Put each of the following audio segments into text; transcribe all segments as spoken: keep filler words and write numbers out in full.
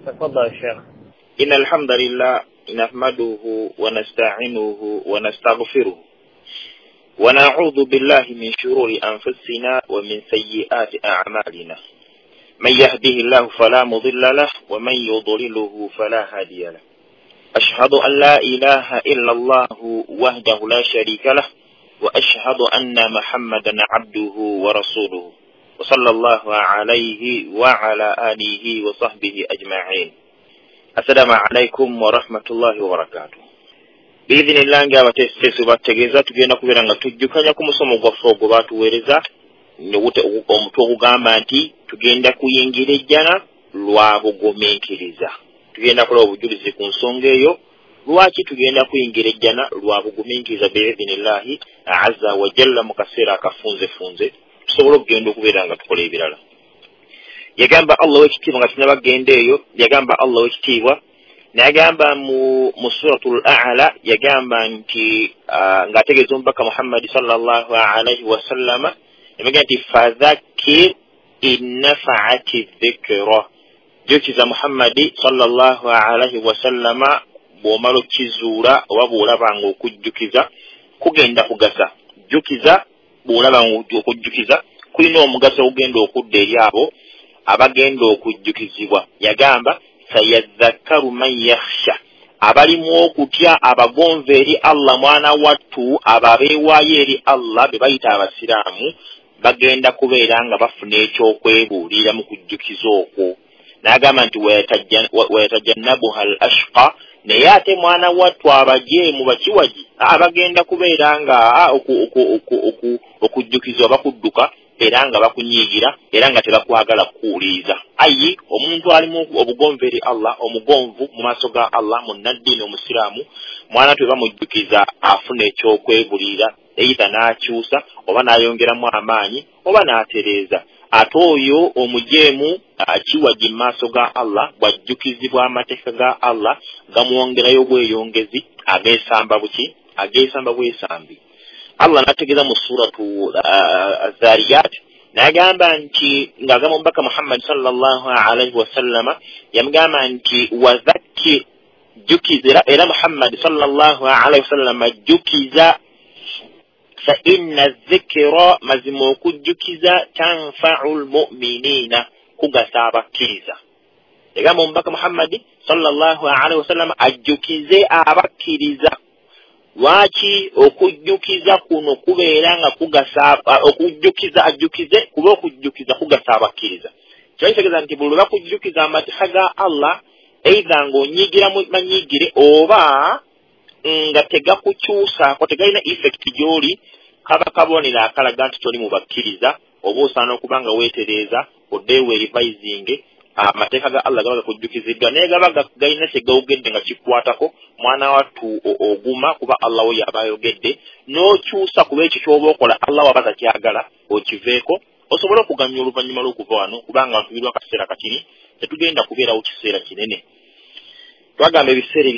تفضل يا شيخ. إن الحمد لله نحمده ونستعينه ونستغفره ونعوذ بالله من شرور أنفسنا ومن سيئات أعمالنا، من يهده الله فلا مضل له ومن يضلله فلا هادي له، أشهد أن لا إله إلا الله وحده لا شريك له، وأشهد أن محمدا عبده ورسوله، وصلى الله عليه وعلى آله وصحبه أجمعين. السلام عليكم ورحمة الله وبركاته. بإذن الله nga abateesiteesi bategeeza tugenda kubeera nga tujjukanya ku musomo gwaffe ogwo baatuweereza omutwe ogugamba nti tugenda kuyingira ejjana lwa bugumiikiriza. Tugenda kulaba obujulizi ku nsonga eyo lwaki tugenda kuyingira ejjana lwa bugumiikiriza biidhinillahi azza wa jalla mu kaseera akafunzefunze tusobole okugenda okubeera nga tukola ebirala. Yagamba Allah w'ekitiibwa nga tunabagenda eyo, yagamba Allah w'ekitiibwa n'agamba mu mu suratul A'la, yagamba nti uh, ng'ategeeza omubaka Muhammad sallallahu alaihi wasallama, yamugamba nti fadhakkir in nafa'ati dhikra, jjukiza Muhammadi sallallahu alaihi wasallama bw'omala okukizuula oba bw'olaba ng'okujjukiza kugenda kugasa. Jjukiza bw'olaba ng'okujjukiza kulina omugaso ogugenda okudda eri abo abagenda okujjukizibwa. Yagamba sayadhakkaru man yakhsha, abalimu okutya abagonva eri Allah mwana wattu, abo abeewaayo eri Allah be bayita abasiraamu bagenda kubeera nga bafuna ekyokwebuulira mu kujjukiza okwo. N'agamba nti wayatajannabuha al ashqa, naye ate mwana wattu abajeemu bakiwagi abagenda kubeera nga okujjukizibwa bakudduka era nga bakunyiigira era nga tebakwagala kukuwuliriza. Ayi omuntu alimu obugonvu eri Allah, omugonvu mu maaso ga Allah, munnaddiini omusiraamu, mwana twe bamujjukiza afuna ekyokwebuulira, eitha n'akyusa oba n'ayongeramu amaanyi oba n'atereeza. Ate oyo omujeemu akiwagi mu maaso ga Allah bw'ajjukizibwa amateeka ga Allah gamwongerayo bweyongezi, ageesamba buki ageesamba bwesambi. Allah n'ategeeza mu suratu Zariyat n'agamba nti ng'agamba omubaka Muhammad sallallahu alaihi wasallama, yamugamba nti wadhakkir, jjukiza, era Muhammad sallallahu alaihi wasallama jjukiza, fa inna dhikra, mazima okujjukiza, tanfa'u lmu'minina, kugasa abakkiriza. Yagamba omubaka Muhammad sallallahu alaihi wasallama ajjukize abakkiriza. Lwaki okujjukiza kuno kubeera nga kugasa okujjukiza ajjukize kuba okujjukiza kugasa abakkiriza? Kyo kitegeeza nti buli lwe bakujjukiza amateeka ga Allah, eitha ng'onyigira manyiigire oba nga tegakukyusaako, tegalina effect gy'oli, kaba kabonero akalaga nti toli mu bakkiriza, oba osaana okuba nga weetereeza oddeyo weerivayizinge. Amateeka ga Allah gaba gakujjukiziddwa naye gaba galina kye gawogedde nga kikwatako mwana wattu oguma kuba Allah we yaba ayogedde, n'okyusa kuba ekyo ky'oba okola Allah waba takyagala okiveeko osobole okuganya oluvannyuma lw'okuva wano, kubanga ntubirwa akaseera katini, tetugenda kubeerawo kiseera kinene. Twagamba ebiseera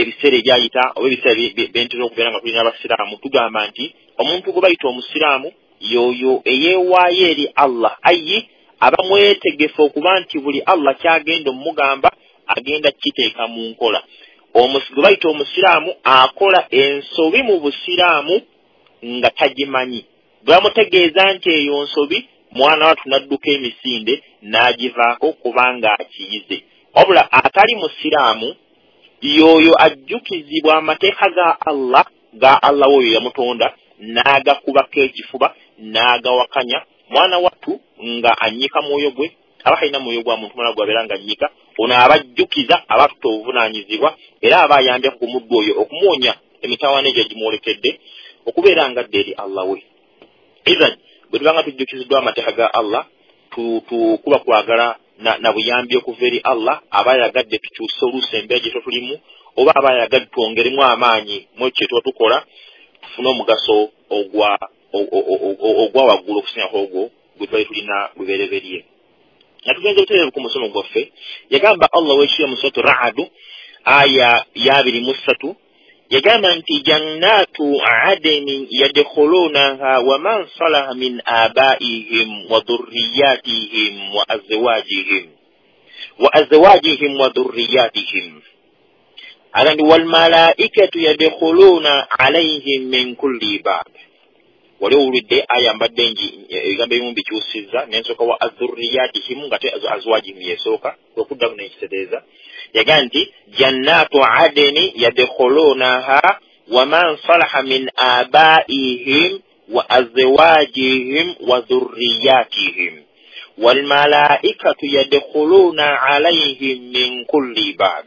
ebiseera ebyayita oba ebiseera byentera okubeera nga tulina abasiraamu, tugamba nti omuntu gwe bayita omusiraamu y'oyo eyeewaayo eri Allah, ayi aba mwetegefu okuba nti buli Allah kyagenda omugamba agenda kukiteeka mu nkola. Gwe bayita omusiraamu akola ensobi mu busiraamu nga tagimanyi, bwe bamutegeeza nti eyo nsobi, mwana wattu n'adduka emisinde n'agivaako kubanga akiyize. Wabula atali musiraamu y'oyo ajjukizibwa amateeka ga Allah ga Allah oyo yamutonda n'agakubako ekifuba n'agawakanya, mwana wattu nga annyika mwoyo gwe, aba talina mwoyo gwa muntu mulala gwabeera nga annyika, ono abajjukiza aba atutte obuvunaanyizibwa era aba ayambyeko ku muddu oyo okumuwonya emitawaana egyo egimwolekedde okubeera nga adda eri Allah we. Ithan bwe tuba nga tujjukiziddwa amateeka ga Allah, kuba kwagala na, na buyambi okuva eri Allah, aba ayagadde tukyuse oluusi embeera gye tulimu, oba aba ayagadde twongeremu amaanyi mu ekyo kye tuba tukola tufune omugaso ogwa ogwa waggulu okusingako ogwo gwe twali tulina lubereberye. Nga tugenze butereevu ku musomo gwaffe, yagamba Allah w'ekitiibwa mu suratu Ra'd aya ya abiri mu ssatu, yagamba nti jannatu adnin yadkhulunaha wa man salaha min abaihim wa dhurriyyatihim wa azwajihim. Wa azwajihim wa dhurriyyatihim. Agandi wal malaikatu yadkhuluna alayhim min kulli bab. Wali owulidde aya mbadde ngi ebigambo ebimu bikyusizza n'ensooka wa adhurriyatihim nga te azwajihim yesooka okuddamu n'ekitegeeza. Yagaa nti jannatu adeni yadkhulunaha wa man salaha min abaihim wa azwajihim wa dhurriyyatihim wal malaikatu yadkhuluna alayhim min kulli bab.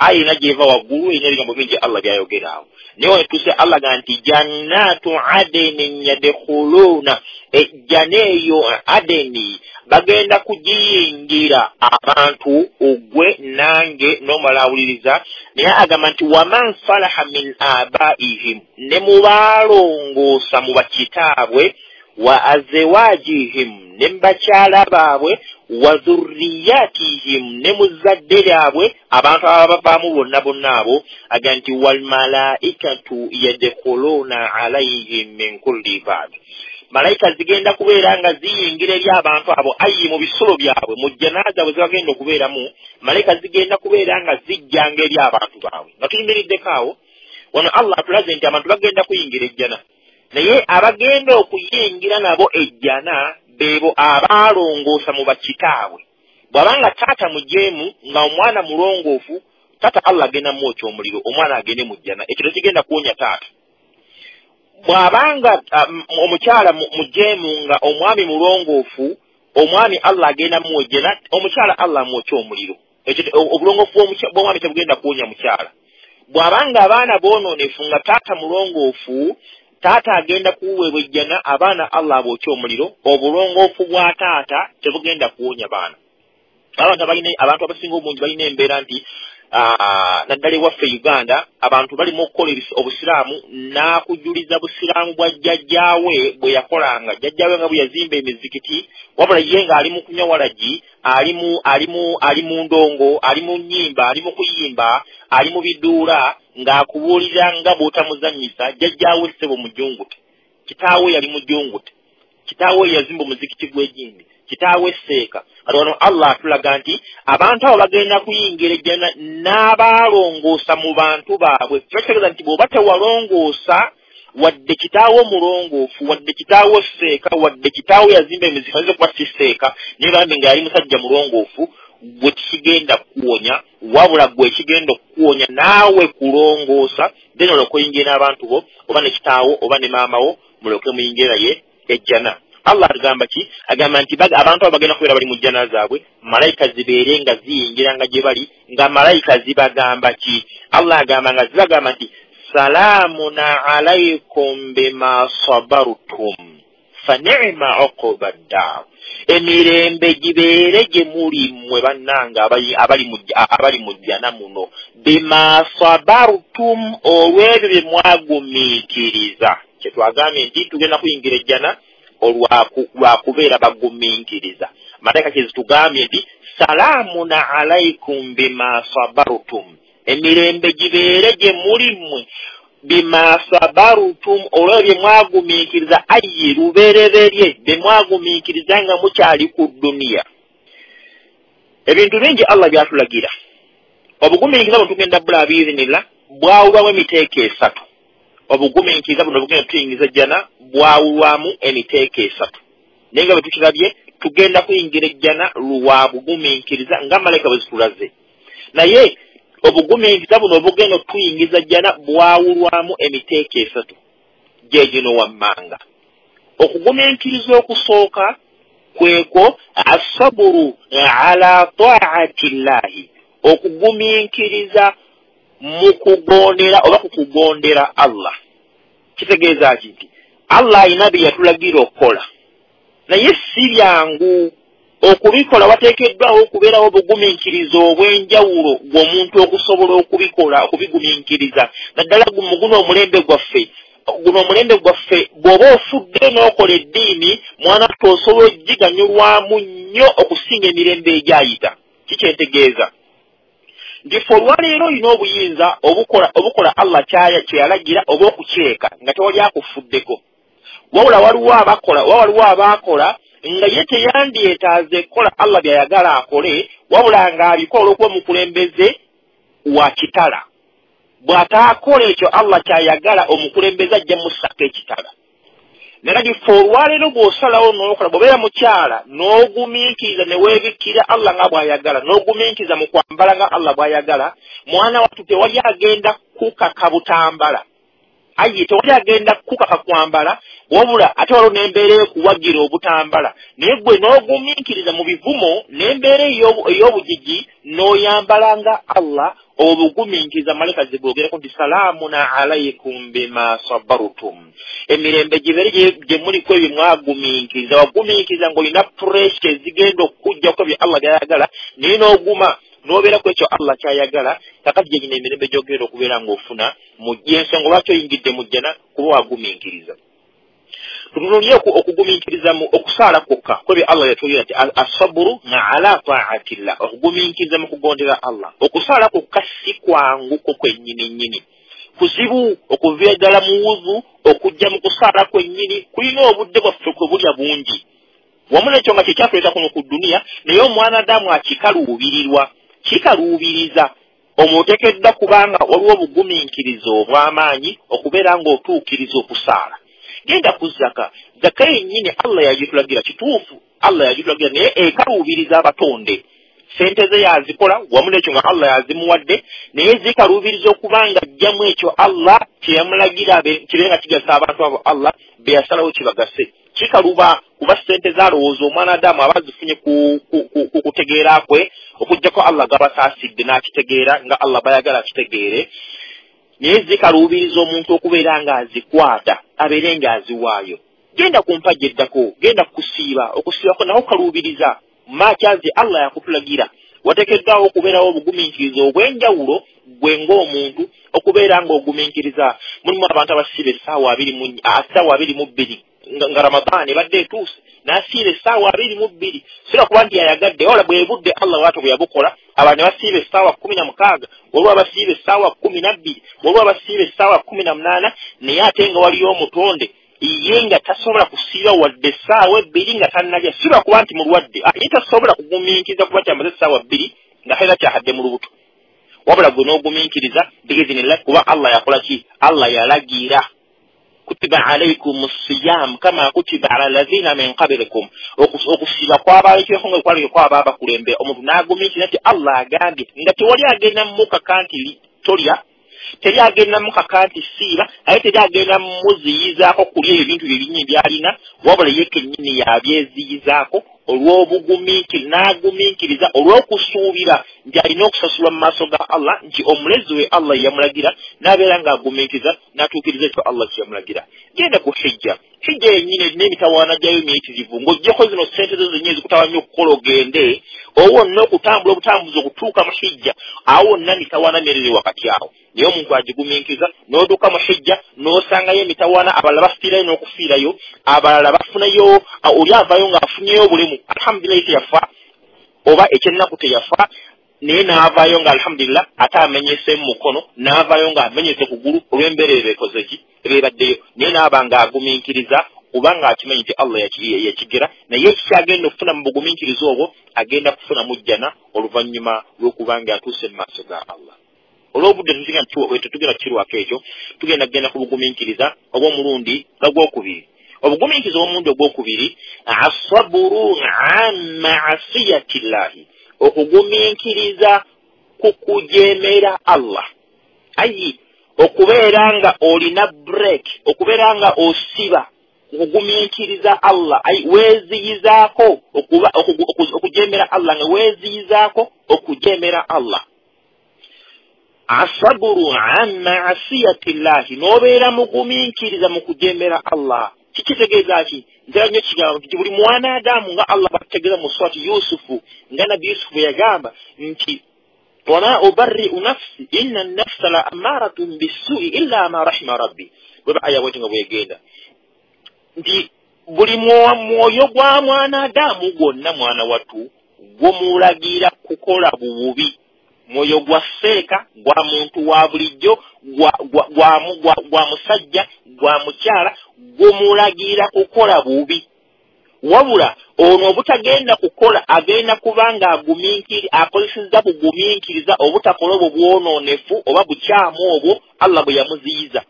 Aya najeva waggulu erina ebigambo bingi Allah by'ayogeraawo. Naye wetuse Allah ga nti jannatu adenin yadkhuluna, ejjana eyo adeni bagenda kugiyingira abantu ogwe nange n'omala awuliriza. Naye agamba nti waman salaha min abaihim, ne mubaalongoosa mu bakitaabwe, wa azwajihim, ne mubakyala baabwe, wa dhurriyatihim, ne mu zzadde lyabwe, abantu ababavaamu bonna bonna abo. Aga nti wal malaikatu yadkhuluna alayhim min kulli bab. Malayika zigenda kubeera nga ziyingira eri abantu abo ayi mu bisulo byabwe, mu jjana zaabwe zebagenda okubeeramu, malayika zigenda kubeera nga zijjanga eri abantu baabwe. Nga tuyimiriddeko awo, wano Allah atulaze nti abantu bagenda kuyingira ejjana, naye abagenda okuyingira nabo ejjana beebo abaalongoosa mu bakitaabwe. Bw'abanga taata mujeemu nga omwana mulongoofu, taata Allah agenda mwokya omuliro, omwana agende mu jjana. Ekyo tekigenda kuwonya taata. Bw'abanga omukyala mujeemu nga omwami mulongoofu, omwami Allah agenda mwojjana, omukyala Allah amwokya omuliro. Ekyo obulongoofu bw'omwami tebugenda kuwonya mukyala. Bw'abanga abaana boonoonefu nga taata mulongoofu, taata agenda kuweebwa ejjana, abaana Allah abookya omuliro. Obulongoofu bwa taata tebugenda kuwonya baana. Abantu abalina, abantu abasinga obungi balina embeera nti naddala ewaffe Uganda abantu balimu okukola obusiraamu n'akujuliza busiraamu bwa jjajjaawe bwe yakolanga. Jjajjaawe nga bwe yazimba emizikiti, wabula ye ng'ali mu kunywa walagi, ali mu ali mu ali mu ndongo, ali mu nnyimba, ali mu kuyimba, ali mu biduula, ng'akubuulira nga bw'otamuzannyisa. Jjajjaawe ssebo mujungute, kitaawe yali mujungute, kitaawe yazimba omuzikiti gw'egindi, kitaawe seeka. Kati wano Allah atulaga nti abantu abo bagenda kuyingira ejjana n'abaalongoosa mu bantu baabwe. Kiba kitegeeza nti bw'oba tewalongoosa, wadde kitaawo mulongoofu, wadde kitaawo seeka, wadde kitaawo yazimba emizikiti, ayinza okuba si seeka, naye bambi nga yali musajja mulongoofu, gwe kigenda kukuwonya. Wabula gwe ekigenda okukuwonya naawe kulongoosa, then olyoke oyingire n'abantu bo, oba ne kitaawo oba ne maama wo, mulyoke muyingire naye ejjana. Allah agamba ki? Agamba nti abantu abo bagenda kubeera bali mu jjana zaabwe, malayika zibeere nga ziyingira nga gye bali, nga malayika zibagamba ki? Allah agamba nga zibagamba nti salaamun alaykum bima sabartum fa ni'ma uqba ddaar. Emirembe gibeere gye muli mmwe bannange abali mu jjana muno, bima sabartum, olw'ebyo bye mwagumiikiriza. Kye twagambye nti tugenda kuyingira ejjana olwakubeera bagumiikiriza. Malayika kye zitugambye nti salaamun alaykum bima sabartum, emirembe gibeere gye muli mmwe bima sabartum, olw'ebyo bye mwagumiikiriza, ayi lubereberye bye mwagumiikiriza nga mukyali ku dduniya. Ebintu bingi Allah byatulagira. Obugumiikiriza buno tugenda bula biizinillah bwawulwamu emiteeko esatu. Obugumiikiriza buno bugenda tuyingiza ejjana bwawulwamu emiteeko esatu. Naye nga bwe tukirabye tugenda kuyingira ejjana lwa bugumiikiriza nga malayika bwe zitulaze. Naye obugumiikiriza buno obugenda okutuyingiza ejjana bwawulwamu emiteeko esatu gye gino wammanga. Okugumiikiriza okusooka kwekwo asaburu ala taati llahi, okugumiikiriza mu kugondera oba ku kugondera Allah. Kitegeeza ki? Nti Allah alina bye yatulagira okukola, naye si byangu okubikola. Wateekeddwawo okubeerawo obugumiikiriza obw'enjawulo gw'omuntu okusobola okubikola, okubigumiikiriza. Naddala mu guno omulembe gwaffe, guno omulembe gwaffe bw'oba ofudde n'okola eddiini, mwana tosobola ogiganyulwamu nnyo okusinga emirembe egyayita. Kikyentegeeza nti ffe olwaleero olina obuyinza obukola obukola Allah kye yalagira oba okukyeka nga tewali akufuddeko. Wabula waliwo abakola, oba waliwo abaakola nga ye teyandyetaaze kukola Allah by'ayagala akole, Wabula ng'abikola olw'okuba omukulembeze wa kitala. Bw'ataakola ekyo Allah ky'ayagala, omukulembeze ajja mussako ekitala. Naye ffe olwaleero bw'osalawo n'okola, bw'obeera mukyala n'ogumiikiriza ne weebikkira Allah nga bw'ayagala, n'ogumiikiriza mu kwambala nga Allah bw'ayagala, mwana wattu tewali agenda kukaka butambala. Ayi tewali agenda kukaka kwambala, wabula ate waliwo n'embeera ekuwagira obutambala. Naye ggwe n'ogumiikiriza mu bivumo n'embeera ey'obugigi n'oyambala nga Allah, obugumiikiriza malayika zibwogerako nti salaamun alaykum bima sabartum. Emirembe gibeere gye muliko ebyo mwagumiikiriza. Wagumiikiriza ng'olina pressure ezigenda okukuggyako bye Allah by'ayagala, naye n'oguma n'obeera ku ekyo Allah ky'ayagala. Kakati gye gino emirembe gy'ogenda okubeera ng'ofuna mu ensonga lwaki oyingidde mu jjana, kuba wagumiikiriza. Tutunuulire okugumiikiriza mu okusaala kwokka kwebyo Allah yatwogera nti asaburu ala taatillah, okugumiikiriza mu kugondera Allah. Okusaala kwokka si kwanguko kwennyini nnyini, kuzibu okuviira ddala mu wuzu okujja mu kusaala kwennyini, kulina obudde bwaffe kwe bulya bungi. Wamu n'ekyo nga kyekyatuleeta kuno ku dduniya, naye omwanadamu akikaluubirirwa, kikaluubiriza. Omuteekeddwa kubanga waliwo obugumiikiriza obw'amaanyi okubeera ng'otuukiriza okusaala. Genda ku zaka, zaka yennyini Allah yagitulagira, kituufu Allah yagitulagira, naye ekaluubiriza abatonde. Sente ze yazikola wamu n'ekyo nga Allah yazimuwadde, naye zikaluubiriza okubanga ajjamu ekyo Allah kye yamulagira kibe nga kigasa abantu abo Allah be yasalawo kibagase. Kikaluba kuba sente zalowooza omwanadamu aba azifunye ku kutegeera kwe, okuggyako Allah gabasaasidde n'akitegeera nga Allah bayagala akitegeere. Naye zikaluubiriza omuntu okubeera ng'azikwata, abeere ng'aziwaayo. Genda ku mpagi eddako, genda kusiiba, okusiibako naho kaluubiriza. Maakyazi Allah yakutulagira, wateekeddwawo okubeerawo obugumiikiriza obw'enjawulo gwe ng'omuntu okubeera ng'ogumiikiriza. Mulimu abantu abasiiba essaawa abiri mu essaawa abiri mu bbiri nga Ramadaani ebadde etuuse, n'asiiba essaawa abiri mu bbiri. Sira kuba nti yayagadde, wabula bwe budde Allah bw'atyo bwe yabukola. Abantu ne basiiba essaawa kkumi na mukaaga, waliwo abasiiba essaawa kkumi na bbiri, waliwo abasiiba essaawa kkumi na munaana, naye ate nga waliyo omutonde ye nga tasobola kusiiba wadde essaawa ebbiri nga tannalya. Sira kuba nti mulwadde, ye tasobola kugumiikiriza kuba kyamaze essaawa bbiri nga talina kyahadde mu lubuto. Wabula gwe n'ogumiikiriza biizinillah, kuba Allah yakola ki? Allah yalagira. Kutiba alaykum siyam kama kutiba ala alladhina min qablikum. Okusiiba kwabalekeko nga kwali kwaba abakulembera, omuntu n'agumiikiriza nti Allah agambye, nga tewali agenda mukaka nti tolya, teri agenda mukaka nti siiba, aye teri agenda muziyizaako kulya ebintu bye bingi by'alina, wabula ye kennyini yabyeziyizaako olw'obugumiikiriza, n'agumiikiriza olw'okusuubira nti alina okusasulwa mu maaso ga Allah, nti omulezi we Allah yamulagira, n'abeera ng'agumiikiriza n'atuukiriza ekyo Allah kye yamulagira. Genda ku hijja, hijja yennyini erina emitawaana gyayo miyitirivu, ng'oggyeko zino ssente zo zennyini ezikutawanya okukola ogende, owo wonna okutambula obutambuzi okutuuka mu hijja, awo wonna mitawaana myerere wakati awo. Naye omuntu agigumiikiriza n'otuuka mu hijja n'osangayo emitawaana, abalala bafiirayo n'okufiirayo, abalala bafunayo, oli avaayo ng'afunyeyo obulemu, alhamdulillah teyafa oba ekyennaku teyafa, naye n'avaayo nga alhamdulillah ate amenyese mu mukono, n'avaayo ng'amenyese kugulu olw'embeera eba ekoze ki ebaddeyo, naye n'aba ng'agumiikiriza kubanga akimanyi nti Allah yakigera. Naye ekikyagenda okufuna mu bugumiikiriza obwo, agenda kufuna mu jjana oluvannyuma lw'okuba ng'atuuse mu maaso ga Allah. Olw'obudde tetugenda kukirwako ekyo, tugenda kugenda ku bugumiikiriza obw'omulundi ogwokubiri. Obugumiikiriza obw'omulundi ogwokubiri, asaburu an maasiyatillahi, okugumiikiriza ku kujeemera Allah. Ayi okubeera nga olina break, okubeera nga osiba okugumiikiriza Allah, ayi weeziyizaako okujeemera Allah, nga weeziyizaako okujeemera Allah. Asaburu an maasiyatillahi, n'obeera mugumiikiriza mu kujeemera Allah. Kikitegeeza ki? Ntera nnyo kigambo nti buli mwanadamu nga Allah batutegeeza mu surati Yusufu, nga Nabbi Yusufu bwe yagamba nti wama ubarri'u nafsi inna nafsa la ammaratun bissu'i illa ma rahima rabbi. Bweba aya bwetyo nga bwegenda nti buli mwoyo gwa mwanadamu gwonna mwana wattu gumulagira kukola bububi. Mwoyo gwa seeka, gwa muntu wa bulijjo, gwa, gwa, gwa, gwa, gwa musajja, gwa mukyala, gumulagira kukola bubi. Wabula ono obutagenda kukola agenda kubanga agumiikiri akozesezza bugumiikiriza obutakola obwo bwonoonefu oba bukyamu obwo Allah bwe yamuziyiza.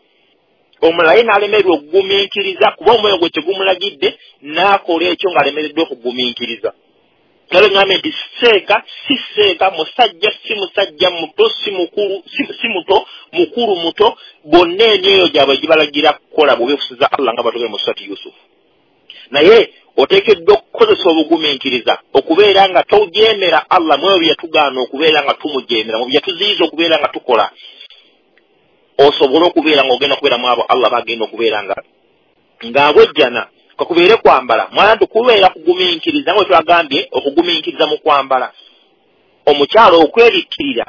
Omulala ye n'alemererwa okugumiikiriza kuba omwoyo gwe tegumulagidde n'akola ekyo ng'alemereddwa okugumiikiriza. Kale ngambe nti seeka si seeka, musajja si musajja, muto si mukulu si muto, mukulu muto, bonna emyoyo gyabwe gibalagira kukola bubi okusinza Allah nga batugere mu Surati Yusuf. Naye oteekeddwa okukozesa obugumiikiriza okubeera nga tojeemera Allah mu ebyo bye yatugaana okubeera nga tumujeemera, mu bye yatuziyiza okubeera nga tukola, osobola okubeera ng'ogenda kubeera mu abo Allah bagenda okubeera nga ng'abwejjana. Kakubeere kwambala, mwana tukubeera kugumiikiriza nga twagambye okugumiikiriza mu kwambala. Omukyala okwebikkirira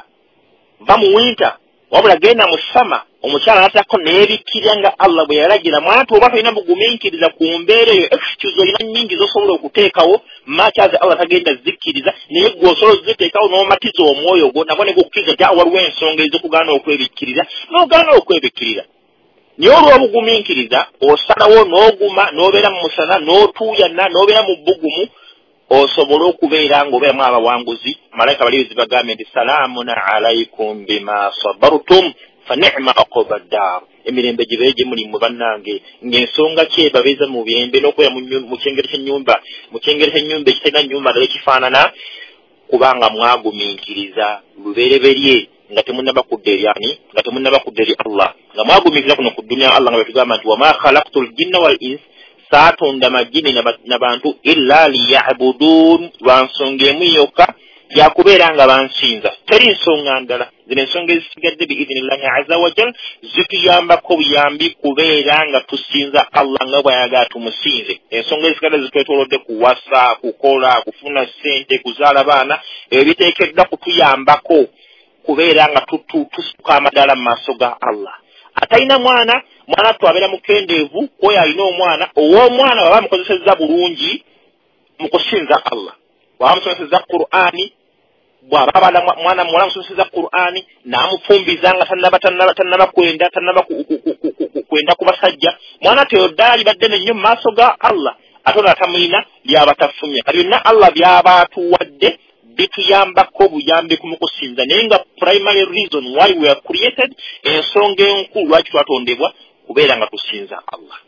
va mu winter wabula genda mu summer, omukyala n'ateekako neebikkirira nga Allah bwe yalagira. Mwana oba tolina bugumiikiriza ku mbeera eyo, excuse olina nnyingi z'osobola okuteekawo makyazi Allah tagenda zikkiriza, naye gwe osobola oziteekawo n'omatiza omwoyo gwo nabwo ne gukkiriza nti waliwo ensonga ez'okugaana okwebikkirira n'ogaana okwebikkirira. Naye olw'obugumiikiriza osalawo n'oguma n'obeera mu musana n'otuuyana n'obeera mu bbugumu osobola okubeera ng'obeeramu abawanguzi. Malayika balizi bagambye nti salaamun alaykum bima sabartum fa ni'ma uqba ddaar. Emirembe gibeere gye muli mmwe bannange, ng'ensonga ki ebabeeza mu byembe n'okubeera mu kyengero ky'ennyumba mu kyengero ky'ennyumba ekitalina nnyumba ddala ekifaanana, kubanga mwagumiikiriza lubereberye nga temunnaba kudda eri ani, nga temunnaba kudda eri Allah, nga mwagumiikiriza kuno ku dduniya. Allah nga bwe tugamba nti wama khalaqtu ljinna wal ins, saatonda majini n'abantu illa liyabudun, lwa nsonga emu yokka yakubeera nga bansinza, teri nsonga ndala. Zino ensonga ezisigadde biidhinillahi azza wa jal zituyambako buyambi kubeera nga tusinza Allah nga bw'ayagala tumusinze. Ensonga ezisigadde zitwetoolodde kuwasa, kukola, kufuna ssente, kuzaala baana, ebyo biteekeddwa kutuyambako kubeera nga tusituka amadaala mu maaso ga Allah. Atalina mwana, mwana twabeera mukendeevu kwoyo alina omwana, ow'omwana bw'aba amukozesezza bulungi mu kusinza Allah, bw'aba amusomesezza Qur'ani, bw'aba abala mwana muwala amusomesezza Qur'ani n'amufumbiza nga tannaba tannaba tannaba kwenda tannaba kwenda ku basajja, mwana teyo ddaala libadde nnyo mu maaso ga Allah. Ate ono atamulina lyaba tafumya. Kati byonna Allah by'aba atuwadde bituyambako buyambi ku mukusinza, naye nga primary reason why we are created, ensonga enkulu lwaki twatondebwa kubeera nga tusinza Allah.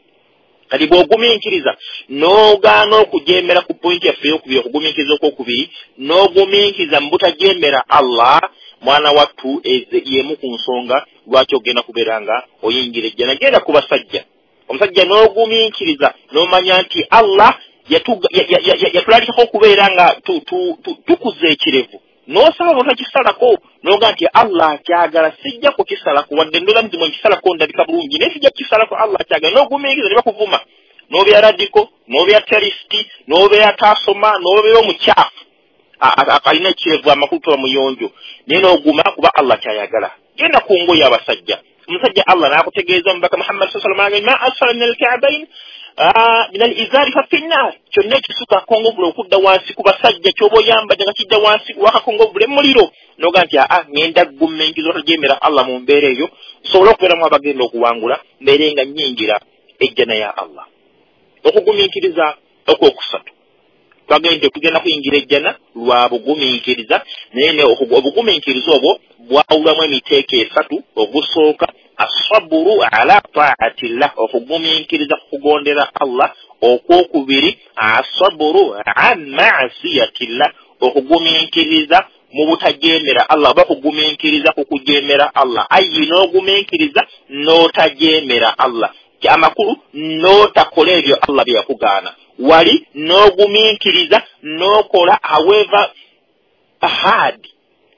Kati bw'ogumiikiriza n'ogaana okujeemera ku pointi yaffe ey'okubiri, okugumiikiriza okwokubiri, n'ogumiikiriza mu butajeemera Allah, mwana wattu y'emu ku nsonga lwaki ogenda kubeera nga oyingira ejjana. Genda ku basajja, omusajja n'ogumiikiriza n'omanya nti Allah yatulalikako okubeera nga tukuza ekirevu, n'osaba n'otakisalako n'oga nti Allah akyagala, sijja kukisalako wadde ndowooza nti mwe nkisalako ndabika bulungi, naye sijja kukisalako, Allah akyagala. N'ogumiikiriza ne bakuvuma, n'obeera radiko, n'obeera terisiti, n'obeera taasoma, n'obeera omukyafu alina ekirevu amakulu toba muyonjo, naye n'oguma kuba Allah kyayagala. Genda ku ngoye abasajja, omusajja Allah n'akutegeeza omubaka Muhammad sallallahu alaihi wasallam, ma asfala min al-ka'bayn min al-izari fa fi nnar, kyonna ekisuka akongovule okudda wansi ku basajja ky'oba oyambadde nga kidda wansi wakakongovule muliro, n'oga nti aa ngenda ggumenkiza otajeemera Allah mu mbeera eyo, nsobole okubeeramu abagenda okuwangula, mbeere nga nnyingira ejjana ya Allah. Okugumiikiriza okwokusatu, twagenda tugenda kuyingira ejjana lwa bugumiikiriza, naye obugumiikiriza obwo bwawulwamu emiteeko esatu. Ogusooka asaburu ala taatillah, okugumiikiriza kugondera Allah. Okwokubiri asaburu an ma'siyatillah, okugumiikiriza mu butajeemera Allah oba kugumiikiriza ku kujeemera Allah. Ayi n'ogumiikiriza n'otajeemera Allah, amakulu n'otakola ebyo Allah bye yakugaana. Wali n'ogumiikiriza n'okola however hard,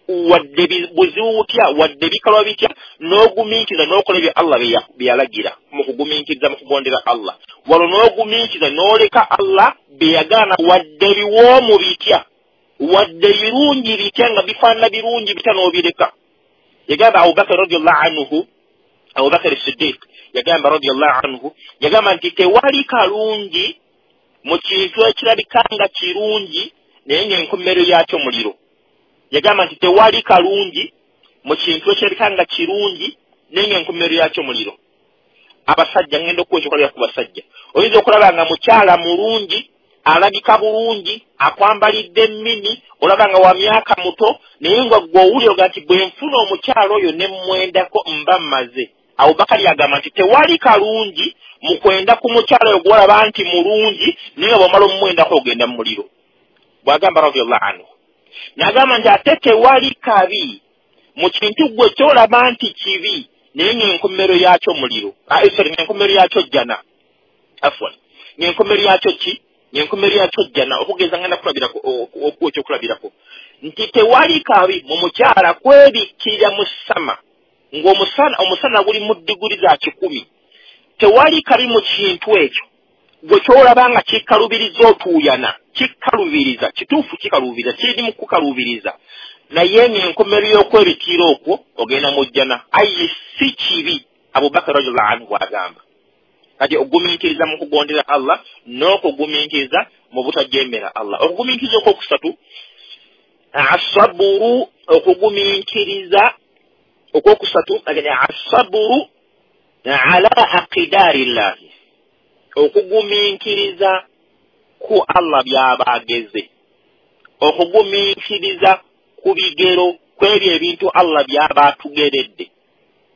wadde buzibu butya, wadde bikalwa bitya, n'ogumiikiriza n'okola ebyo Allah bye yalagira mu kugumiikiriza mu kugondera Allah. Walo n'ogumiikiriza n'oleka Allah bye yagaana, wadde biwoomu bitya, wadde birungi bitya nga bifaanana birungi bitya n'obireka. Yagamba Abubakar radiyallahu anhu, Abubakar Siddiq yagamba radiyallahu anhu, yagamba nti tewali kalungi mu kintu ekirabika nga kirungi naye ng'enkomerero yakyo muliro. Yagamba nti tewali kalungi mu kintu ekirabika nga kirungi naye ng'enkomerero yakyo muliro. Abasajja ngenda okuwa ekyokulabirako ku basajja, oyinza okulaba nga mukyala mulungi alabika bulungi, akwambalidde emmini, olaba nga wa myaka muto, naye nga ggwe owulira oga nti bwe nfuna omukyala oyo ne mmwendako mba mmaze. Abubakari agamba nti tewali kalungi mu kwenda ku mukyala oyo gw'olaba nti mulungi, naye nga bw'omala omumwendako ogenda mu muliro. Bw'agamba radiyallahu anhu. N'agamba nti ate tewali kabi mu kintu ggwe ky'olaba nti kibi, naye ng'enkomero yakyo muliro. Ah, sorry, ng'enkomero yakyo jjana. Afwan. Ng'enkomero yakyo ki? Ng'enkomero yakyo jjana. Okugeza ngenda kulabirako okuwa ekyokulabirako. Nti tewali kabi mu mukyala kwebikkirira mu ssama, ng'omusana omusana guli mu diguli za kikumi. Tewali kabi mu kintu ekyo gwe ky'olaba nga kikalubiriza otuuyana, kikalubiriza, kituufu kikalubiriza, kiri mu kukalubiriza, naye ng'enkomero y'okwebikkirira okwo ogenda mu jjana. Ayi si kibi, Abubakar radiyallahu anhu bw'agamba. Kati okugumiikiriza mu kugondera Allah n'okugumiikiriza mu butajeemera Allah. Okugumiikiriza okwokusatu, asaburu, okugumiikiriza okwokusatu, asaburu ala aqdari llahi, okugumiikiriza ku Allah by'aba ageze, okugumiikiriza ku bigero kw'ebyo ebintu Allah by'aba atugeredde.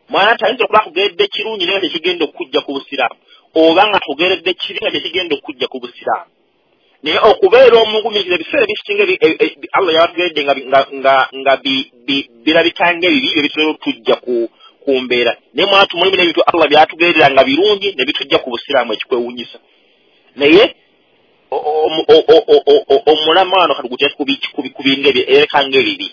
Mwana tayinza okuba akugeredde kirungi naye nga tekigenda okujja ku busiraamu, oba nga akugeredde kibi nga tekigenda okujja ku busiraamu. Naye okubeera omugumiikiriza ebiseera ebisinga Allah yabatugeredde nga nga birabika ng'ebibi bye bitera okutujja ku ku mbeera. Naye mwana tumulimu n'ebintu Allah byatugerera nga birungi ne bitujja ku busiraamu ekikwewuunyisa. Naye omulama wano kati ku bintu ereka ng'ebibi.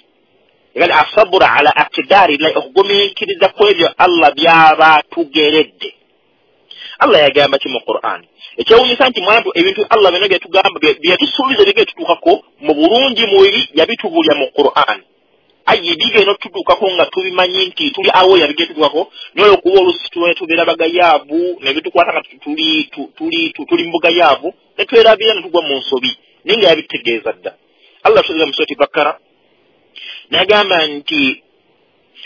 Era asabura ala aqdari llahi, okugumiikiriza kw'ebyo Allah by'aba atugeredde. Allah yagamba ki mu Qur'an? Ekyewuunyisa nti mwantu ebintu Allah byonna byatugamba byatusuubiza bigenda tutuukako mu bulungi mu bibi yabitubuulira mu Qur'an. Ayi bigenda tutuukako nga tubimanyi nti tuli awo yabigenda tutuukako, naye olw'okuba oluusi tubeera bagayaavu ne bitukwata nga tuli tuli tuli mu bugayaavu ne twerabira ne tugwa mu nsobi, naye nga yabitegeeza dda. Allah atutegeeza mu Surati Bakara n'agamba nti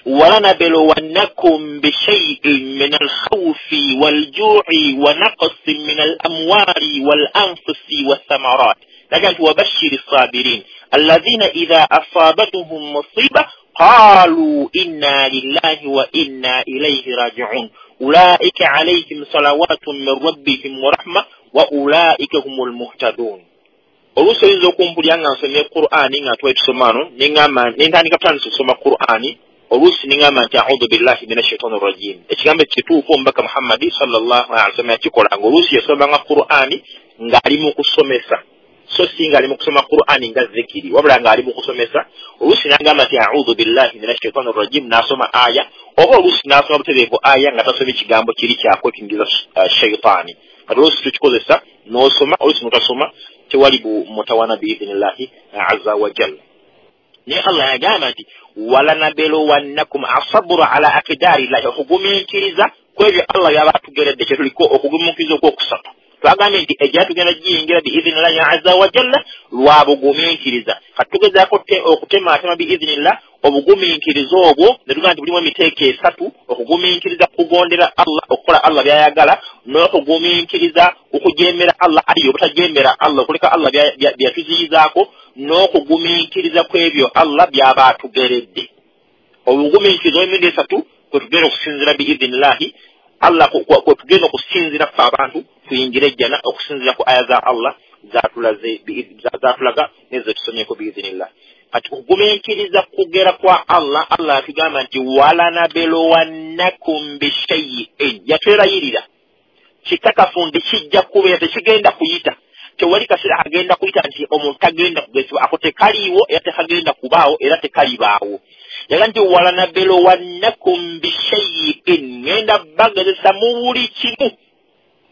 walanabluwannakum bishay'in min al-khawfi wal-ju'i wa naqsin min al-amwali wal-anfusi wath-thamarat. N'agamba nti wabashshiri s-sabirin alladhina idha asabatuhum musiba qalu inna lillahi wa inna ilayhi raji'un ulaika alayhim salawatun min rabbihim wa rahma wa ulaika humul muhtadun. Oluusi oyinza okumpulira nga nsomye Qur'ani nga twali tusoma wano, ne ŋŋamba ne ntandika kutandisa okusoma Qur'ani, oluusi ne ŋŋamba nti a'udhu billahi minash shaitani rrajim. Ekigambo ekituufu omubaka Muhammadi sallallahu alaihi wasallam yakikolanga. Oluusi yasomanga Qur'ani ng'ali mu kusomesa, so si ng'ali mu kusoma Qur'ani nga zikiri, wabula ng'ali mu kusomesa. Oluusi n'agamba nti a'udhu billahi minash shaitani rrajim, n'asoma aya, oba oluusi n'asoma butereevu aya nga tasomye kigambo kiri kyakwekingiriza shaitaani. Kati oluusi tukikozesa n'osoma, oluusi n'otasoma, tewali bu mutawana biidhnillahi azza wa jalla. Naye Allah yagamba nti walanabluwannakum asabru ala aqdari llahi, okugumiikiriza kw'ebyo Allah by'aba atugeredde, kye tuliko okugumiikiriza okwokusatu. Twagambye nti ejja tugenda giyingira biidhnillahi azza wa jalla lwa bugumiikiriza. Kati tugezaako okutemaatema biidhnillah obugumiikiriza obwo, ne tugamba nti bulimu emiteeko esatu: okugumiikiriza kugondera Allah, okukola Allah by'ayagala, n'okugumiikiriza okujeemera Allah, ayi obutajeemera Allah, okuleka Allah byatuziyizaako, n'okugumiikiriza kw'ebyo Allah by'aba atugeredde. Obugumiikiriza obw'emirundi esatu kwe tugenda okusinziira biidhnillahi Allah, kwe tugenda okusinziira ffe abantu tuyingire ejjana okusinziira ku aya za Allah zatulaze zatulaga nezetusomyeko biidhnillah. Kati okugumiikiriza kugera kwa Allah, Allah atugamba nti walanabluwannakum bishay'in, yatwerayirira kikakafu nti kijja kubeera, tekigenda kuyita, tewali kaseera agenda kuyita nti omuntu tagenda kugezebwa, ako tekaliiwo era tekagenda kubaawo era tekalibaawo. Yaga nti walanabluwannakum bishay'in, ngenda bagezesa mu buli kimu,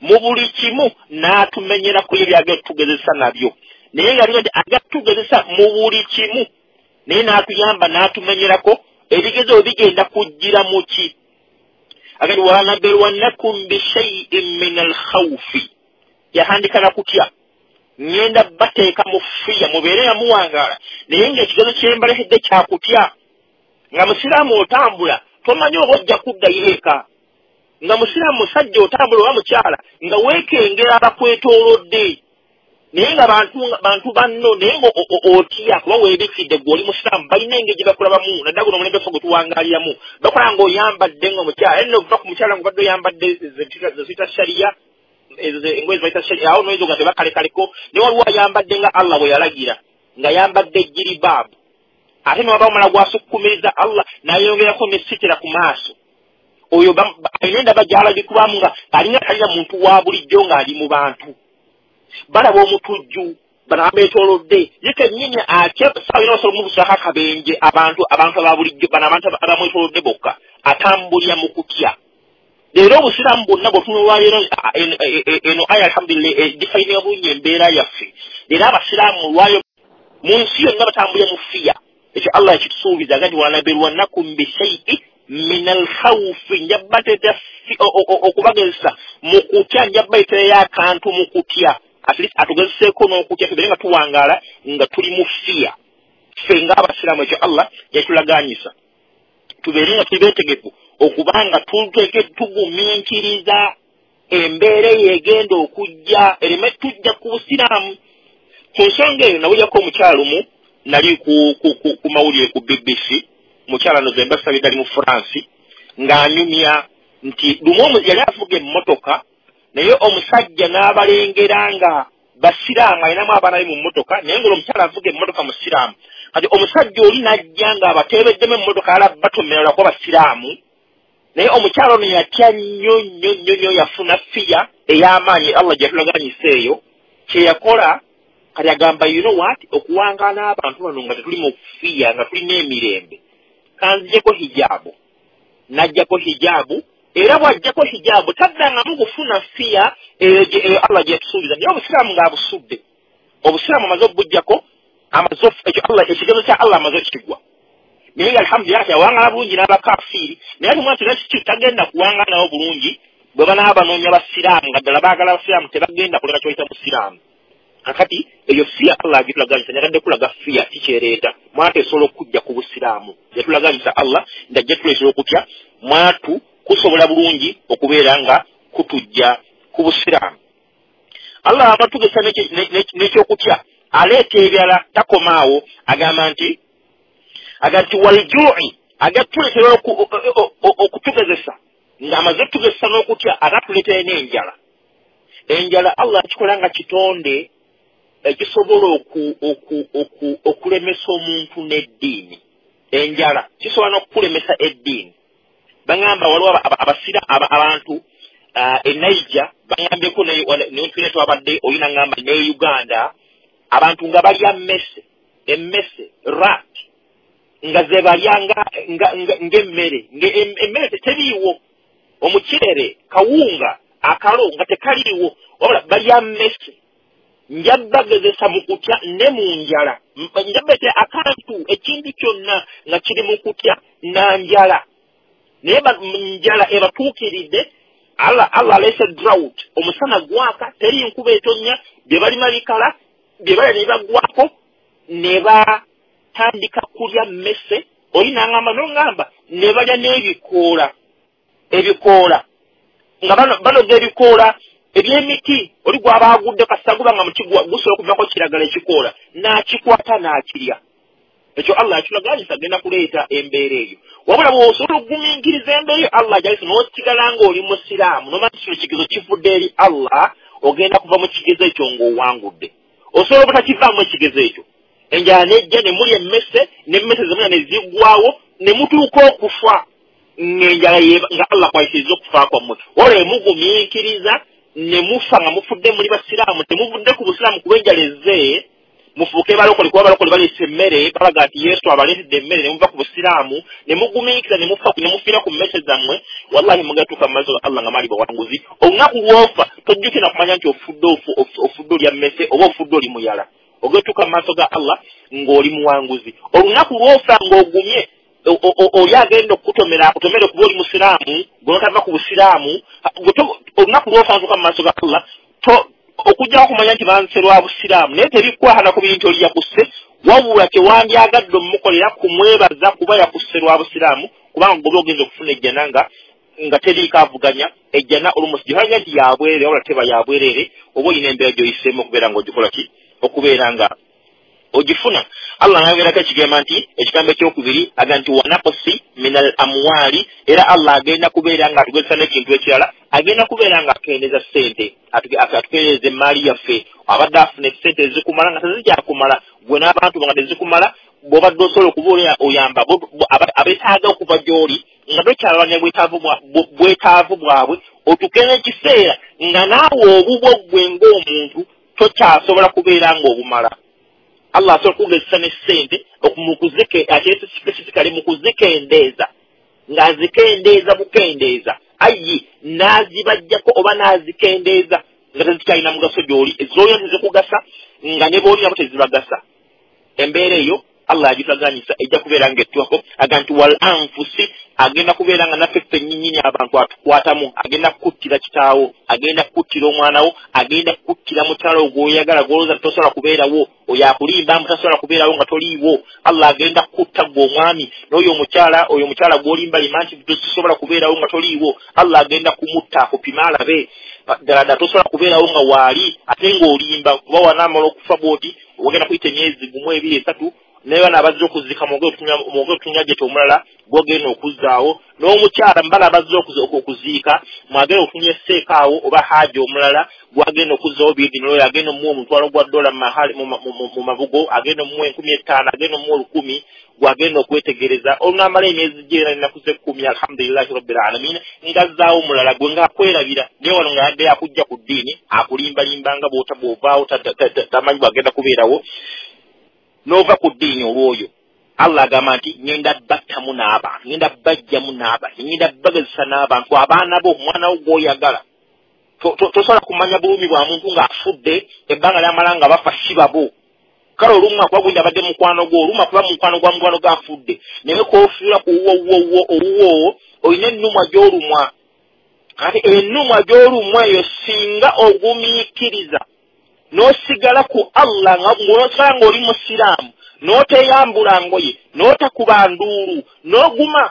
mu buli kimu, n'atumenyera ku ebyo agatugezesa nabyo. Naye nga nti agatugezesa mu buli kimu, naye n'atuyamba n'atumenyerako ebigezo bigenda kujjira mu ki. Agati walanabluwannakum bishay'in min al-khawfi, yahandika na kutya, ngenda bateeka mu fiya mubeere nga muwangaala, naye ng'ekigezo kyembalekedde kyakutya. Nga musiraamu otambula tomanyi oba ojja kuddayo eka, nga musiraamu musajja otambula oba mukyala nga weekengera abakwetoolodde. Naye nga bantu bantu banno naye nga otya kuba weebikidde gwe oli musiraamu, balina engeri gye bakulabamu naddala guno omulembe ffe gwe tuwangaaliramu, bakola ng'oyambadde ng'omukyala era nova ku mukyala ng'obadde oyambadde ze ziyita shariya, ezo engoye ze bayita shariya, awo noyinza nga tebakalekaleko, naye waliwo ayambadde nga Allah bwe yalagira ng'ayambadde jiribaabu, ate newaba omala gwasukkumiriza Allah n'ayongerako ne sitira ku maaso. Oyo alina endaba gy'alabikwamu nga alinga talina muntu wa bulijjo ng'ali mu bantu. Balaba omutujju bano abeetoolodde ye kennyini atya ssaawa yonna osobola omubuusaako akabenje abantu abantu aba bulijjo bano abantu abamwetoolodde bokka atambulira mu kutya. Leero obusiraamu bwonna bw'otunulwa leero eno aya alhamdulillah edifayininga bulungi embeera yaffe. Leero abasiraamu olwayo mu nsi yonna batambulira mu fiya. Ekyo Allah yakitusuubiza aga nti walanabluwannakum bishay'in min alkhawfi, nja bbateeta okubagezesa mu kutya, nja bbayitirayo akantu mu kutya, at least atugezeseeko n'okutya tubeere nga tuwangaala nga tuli mu fiya. Ffe ng'abasiraamu ekyo Allah yakitulagaanyisa tubeere nga tuli beetegefu okubanga tugumiikiriza embeera eyo egenda okujja ereme tujja ku busiraamu. Ku nsonga eyo nawulyako omukyala omu nali ku, ku, ku, ku mawulire ku B B C, mukyala no zemba sabidde ali mu France, ng'anyumya nti lumu yali avuga emmotoka naye omusajja n'abalengera nga basiraamu alinamu abaana be mu mmotoka, naye ng'omukyala avuga emmotoka musiraamu. Kati omusajja oli n'ajja ng'abateebeddemu emmotoka ala batomera lwakuba basiraamu, naye omukyala ono yatya nnyo nnyo nnyo nnyo, yafuna fiya ey'amaanyi Allah gye yatulaganyisa eyo. Kye yakola kati agamba you know what, okuwangaala n'abantu bano nga tetuli mu fiya nga tulina emirembe, kanzijeko hijaabu. N'ajjako hijaabu, era bw'ajjako hijaabu taddangamu kufuna fiya eyo Allah gye yatusuubiza. Naye obusiraamu ng'abusudde, obusiraamu amaze obujjako, amaze ekyo Allah ekigezo kya Allah amaze okikigwa. Naye nga alhamdulillah yawangaala bulungi n'abakafiiri, naye ate omwana kiki tagenda kuwangaala nabo bulungi bwe banaaba banoonya basiraamu nga ddala baagala basiraamu, tebagenda kuleka kyoyita musiraamu. Kakati eyo fiya Allah agitulaganyisa, nyagadde kulaga fiya kikyereeta mwatu esobola okujja ku busiraamu. Yatulaganyisa Allah nti ajja tuleetera okutya mwatu kusobola bulungi okubeera nga kutujja ku busiraamu. Allah abatugesa n'ekyokutya aleeta ebirala, takomaawo, agamba nti aga nti waljui, agatuleetera okutugezesa ng'amaze tugezesa n'okutya ate atuleetera n'enjala. Enjala Allah akikola nga kitonde ekisobola okulemesa omuntu n'eddiini. Enjala kisobola n'okukulemesa eddiini. Baŋŋamba waliwo abasira abantu e Niger, baŋŋambyeko ne twabadde oli naŋŋamba ne Uganda, abantu nga balya mmese, emmese rat nga ze balya ng'emmere, emmere teriiwo, omuceere, kawunga, akalo nga tekaliiwo, wabula balya mmese. Nja bagezesa mu kutya ne mu njala, nja bete akantu ekintu kyonna nga kiri mu kutya na njala, naye njala ebatuukiridde. Allah Allah aleese drought, omusana gwaka, teri nkuba etonnya, bye balima bikala, bye balya ne bagwako ne batandika kulya mmese. Oli n'aŋŋamba n'oŋŋamba ne balya n'ebikoola, ebikoola nga banoga ebikoola eby'emiti, oli gw'aba agudde kasita guba nga muti gusobola okuvaako kiragala ekikoola, n'akikwata n'akirya. Ekyo Allah yakitulaganyisa agenda kuleeta embeera eyo. Wabula bw'osobola okugumiikiriza embeera eyo Allah gy'ayise n'osigala ng'oli musiraamu, n'omanya nti kino kigezo kivudde eri Allah, ogenda kuva mu kigezo ekyo ng'owangudde. Osobola obutakivaamu ekigezo ekyo, enjala n'ejja ne mulya emmese, n'emmese ze mulya ne ziggwawo, ne mutuuka okufa ng'enjala nga Allah kwayisiriza okufa kwammwe. Wabula emugumiikiriza ne mufa nga mufudde muli basiraamu, temuvudde ku busiraamu kuba enjala ezze, mufuuke balokole kuba balokole baleese emmere, balaga nti Yesu abaleetedde emmere, ne muva ku busiraamu ne mugumiikiriza ne mufa ne mufiira ku mmese zammwe, wallahi mugatuuka mu maaso ga Allah nga mali bawanguzi. Olunaku lw'ofa tojjukira kumanya nti ofudde ofudde olya mmese oba ofudde oli muyala, ogatuuka mu maaso ga Allah ng'oli muwanguzi. Olunaku lw'ofa ng'ogumye oli agenda okukutomera akutomere kuba oli musiraamu, gwe notava ku busiraamu, olunaku lw'ofa ntuuka mu maaso ga Allah okujjako okumanya nti banse lwa busiraamu, naye tebikwahana ku bintu oli yakusse, wabula kyewandyagadde omukolera kumwebaza kuba yakusse lwa busiraamu, kubanga goba ogenza okufuna ejjana nga nga teriiko avuganya. Ejjana olumu gihanya nti yabwerere, wabula teba yabwerere, oba olina embeera gy'oyiseemu okubeera ng'ogikola ki, okubeera nga ogifuna. Allah n'ayogerako ekigamba nti ekigambo ekyokubiri aga nti wanakosi minal amwali, era Allah agenda kubeera nga atugezesa n'ekintu ekirala, agenda kubeera nga akendeeza ssente, atukendeeza emmaali yaffe. Abadde afuna essente ezikumala nga tezikyakumala, gwe n'abantu nga tezikumala, bw'obadde osobola okuba oyamba abeetaaga okuva gy'oli nga tokyalwanya bwetaavu bwabwe, otuuke n'ekiseera nga naawe obubwo ggwe ng'omuntu tokyasobola kubeera ng'obumala. Allah asobola okugezesa ne ssente specifically mu kuzikendeeza, ng'azikendeeza bukendeeza, ayi n'azibajjako oba n'azikendeeza nga tezikyalina mugaso gy'oli, ez'olina tezikugasa nga ne b'oli nabo tezibagasa. Embeera eyo Allah agitaganyisa, ejja kubeera ng'ettuwako. Aga nti wal anfusi, agenda kubeera nga naffe ffennyinnyini abantu atukwatamu, agenda kukuttira kitaawo, agenda kukuttira omwana wo, agenda kukuttira mukyala wo gw'oyagala gw'olowooza nti tosobola kubeerawo, oyo akulimba mbu tasobola kubeerawo nga toliiwo. Allah agenda kukutta ggwe omwami n'oyo omukyala, oyo omukyala gw'olimbalima nti tosobola kubeerawo nga toliiwo, Allah agenda kumutta akupime alabe ddala ddala tosobola kubeerawo nga waali ate ng'olimba, kuba wanaamala okufa bw'oti ogenda kuyita emyezi gumu ebiri esatu, naye bano abazze okuzika mwogere otunya gyete omulala gwogenda okuzzaawo, n'omukyala mbala abazze okuziika mwagere otunya esseeka awo oba haaji omulala gwagenda okuzzaawo biidini, oyo agenda omuwa omutwalo gwa dola mu mabugo, agenda omuwa enkumi ettaano, agenda omuwa olukumi, gwagenda okwetegereza. Olunaamala emyezi gyera ennaku z'ekkumi, alhamdulillahi rabbil alamin, ng'azzaawo omulala gwe ng'akwerabira, naye wano nga yadde akujja ku ddiini akulimbalimba nga bw'ovaawo tamanyi bw'agenda kubeerawo n'ova ku ddiini olw'oyo. Allah agamba nti ngenda battamu n'abantu, ngenda bajjamu n'abantu, ngenda bagezesa n'abantu, abaana bo, omwana wo gw'oyagala. Tosobola kumanya bulumi bwa muntu ng'afudde ebbanga lyamala nga bafa si babo. Kale olumu akuba gundi abadde mukwano gwo, olumu akuba mukwano gwa mukwano g'afudde, naye k'ofiira ku wuwo wuwo owuwo olina ennumwa gy'olumwa. Kati ennumwa gy'olumwa eyo singa ogumiikiriza n'osigala ku Allah ng'osigala ng'oli musiraamu, n'oteyambula ngoye, n'otakuba nduulu, n'oguma,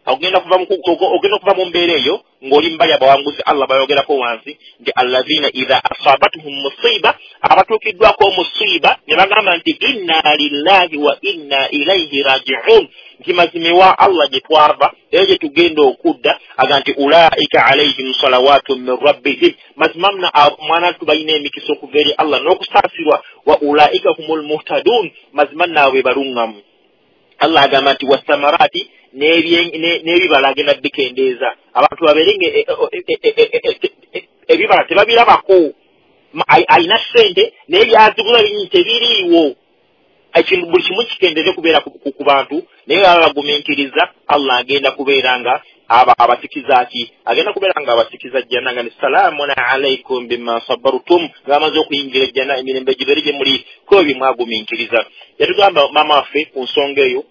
ogenda kuva mu ogenda kuva mu mbeera eyo ng'oli mbali abawanguzi. Allah bayogerako wansi nti allazina idha asabatuhum musiba, abatuukiddwako omusiba ne bagamba nti inna lillahi wa inna ilayhi raji'un, nti mazima ewa Allah gye twava era gye tugenda okudda. Aga nti ulaika alayhim salawatun min rabbihim, mazima mna mwana tubalina emikisa okuva eri Allah n'okusaasirwa, wa ulaika humul muhtadun, mazima naawe baluŋŋamu. Allah agamba nti wasamarati, n'ebibala agenda bikendeeza, abantu babeere ebibala tebabirabako, alina ssente naye byazigula bingi tebiriiwo, ekintu buli kimu kikendeeze kubeera ku bantu, naye baba bagumiikiriza Allah agenda kubeera nga abasikiza ki, agenda kubeera nga abasikiza jjana, nga ni salaamun alaikum bima sabartum, nga bamaze okuyingira ejjana emirembe gibeere gye muli ku ebyo mwagumiikiriza. Yatugamba maama waffe ku nsonga eyo,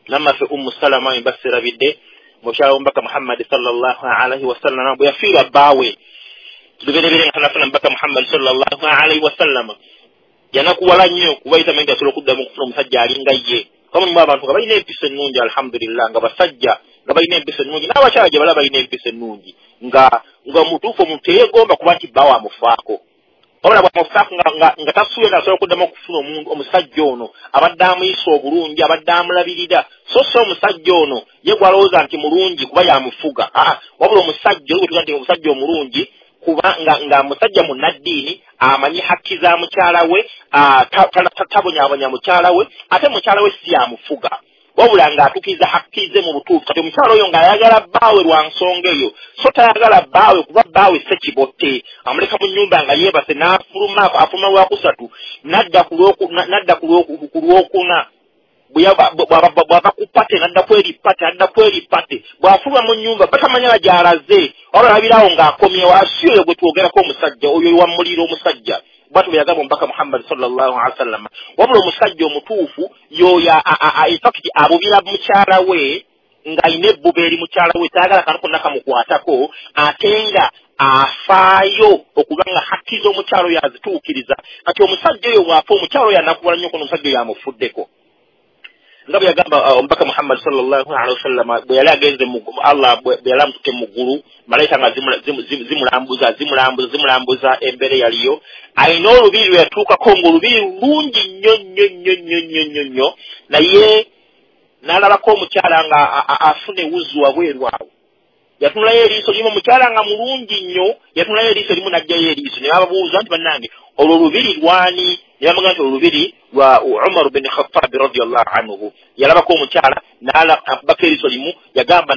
maama waffe Ummu Salama embaserabidde, mukyala w'omubaka Muhammadi sallallahu alaihi wasallama bwe yafiirwa bbaawe, tuberebere nga tanafuna mubaka Muhammadi sallallahu alaihi wasallama, yanakuwala nnyo kuba yitamanyi nti asobola okuddamu okufuna omusajja alinga ye. Kuba mulimu abantu nga balina empisa ennungi, alhamdulillah, nga basajja nga balina empisa ennungi, n'abakyala gye bala balina empisa ennungi, nga nga mutuufu omuntu teyeegomba kuba nti bbaawe amufaako, wabula bw'amufaako nga nga tasuubira nti asobola okuddamu okufuna omuntu omusajja ono abadde amuyisa obulungi, abadde amulabirira. So si omusajja ono ye gw'alowooza nti mulungi kuba yamufuga, aa wabula omusajja oyo gwe tuga nti omusajja omulungi kuba nga nga musajja munnaddiini, amanyi hakki za mukyala we, tabonyabonya mukyala we, ate mukyala we si yamufuga, wabula ng'atuukiriza hakki ze mu butuufu. Kati omukyala oyo ng'ayagala bbaawe lwa nsonga eyo, so tayagala bbaawe kuba bbaawe ssekibotte, amuleka mu nnyumba nga yeebase n'afuluma, afuluma lwakusatu n'adda ku lwokuna, bw'ava ku pate n'adda ku eri pate, n'adda ku eri pate, bw'afuluma mu nnyumba batamanya gy'alaze, wabula alabirawo ng'akomyewo. Asi oyo gwe twogerako omusajja oyo wamulira omusajja, bw'atyo bwe yagamba omubaka Muhammadi sallallahu alaihi wasallam. Wabula omusajja omutuufu y'oyo in fact abubira mukyala we ng'alina ebbuba eri mukyala we, tayagala kantu konna kamukwatako, ate nga afaayo okuba nga hakki z'omukyala oyo azituukiriza. Kati omusajja oyo bw'afa omukyala oyo anakuwala nnyo kuno omusajja oyo amufuddeko. Nga bwe yagamba omubaka Muhammad sallallahu alaihi wasallam bwe yali agenze Allah bwe yali amututte mu ggulu, malayika nga zimulambuza zimulambuza zimulambuza embeera yaliyo, alina olubiri lwe yatuukako ng'olubiri lungi nnyo nnyo nnyo nnyo nnyo nnyo nnyo, naye n'alabako omukyala nga afuna ewuzu wabweru awo. Yatunulayo eriiso limu, omukyala nga mulungi nnyo, yatunulayo eriiso limu n'aggyayo eriiso. Ne bababuuza nti bannange olwo olubiri lwani? Ne bamugamba nti olubiri lwa Umar bin Khattab radiyallahu anhu. Yalabako omukyala n'akubako eriiso limu, yagamba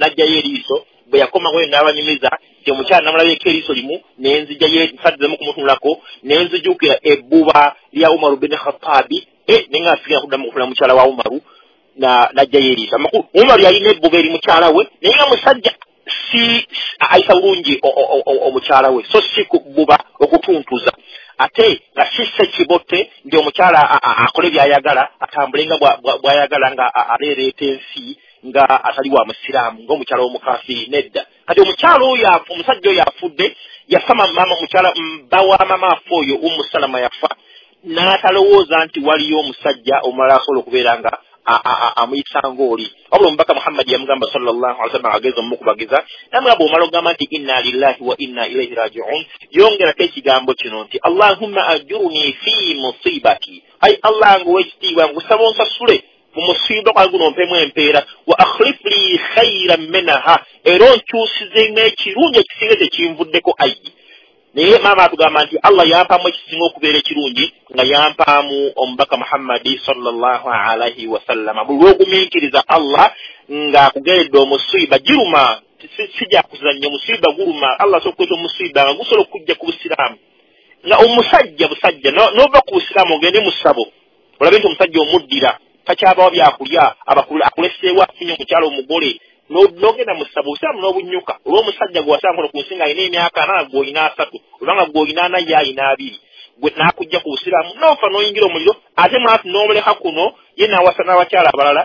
n'aggyayo eriiso. Bwe yakomawo n'abanyumiza nti omukyala namulabyeko eriiso limu nenzijjayo, nfaddemu kumutunulako nenzijukira ebbuba lya Umar bin Khattab, eh naye nga sigenda kuddamu kufuna mukyala wa Umaru n'aggyayo eriiso. Amakulu Umaru yalina ebbuba eri mukyala we, naye nga musajja si ayisa bulungi omukyala we, so si kubbuba okutuntuza, ate nga si ssekibotte nti omukyala akole by'ayagala, atambule nga bw'ayagala, nga aleereeta ensi nga atali wa musiraamu ng'omukyala w'omukafiri. Nedda. Kati omukyala oyo omusajja oyo afudde, yafa mama mukyala bba wa mama afe oyo Ummu Salama yafa, n'atalowooza nti waliyo omusajja omulala asobola okubeera nga amuyisa ng'oli. Wabula omubaka Muhammad yamugamba sallallahu alaihi wasallam ageza omukubagiza, namugamba omala ogamba nti inna lillahi wa inna ilaihi rajiun, yongerako ekigambo kino nti Allahumma ajurni fi musibati, ai Allah nga ow'ekitiibwa nkusaba onsasule mu musiba gwange guno ompemu empeera, wa akhlif li khairan minha, era onkyusizemu ekirungi ekisinga tekinvuddeko ayi. Naye maama atugamba nti Allah yampaamu ekisinga okubeera ekirungi nga yampaamu omubaka Muhammadi sallallahu alaihi wasallama. Buli lw'ogumiikiriza Allah ng'akugeredde omusiiba giruma, sijja kuzannya, omusiiba guluma. Allah asobola okukweta omusiiba nga gusobola okujja ku busiraamu, nga omusajja busajja n'ova ku busiraamu ogende mu ssabo olabe nti omusajja omuddira takyabawo byakulya, akuleseewo afunye omukyala omugole, n'ogenda mu ssabo obusiraamu n'obunyuka olw'omusajja gwe wasanga kuno ku nsi ng'alina emyaka ana gw'olina asatu, obanga gw'olina ana ye alina abiri, gwe n'akujja ku busiraamu n'ofa n'oyingira omuliro, ate mwatu n'omuleka kuno ye n'awasa n'abakyala abalala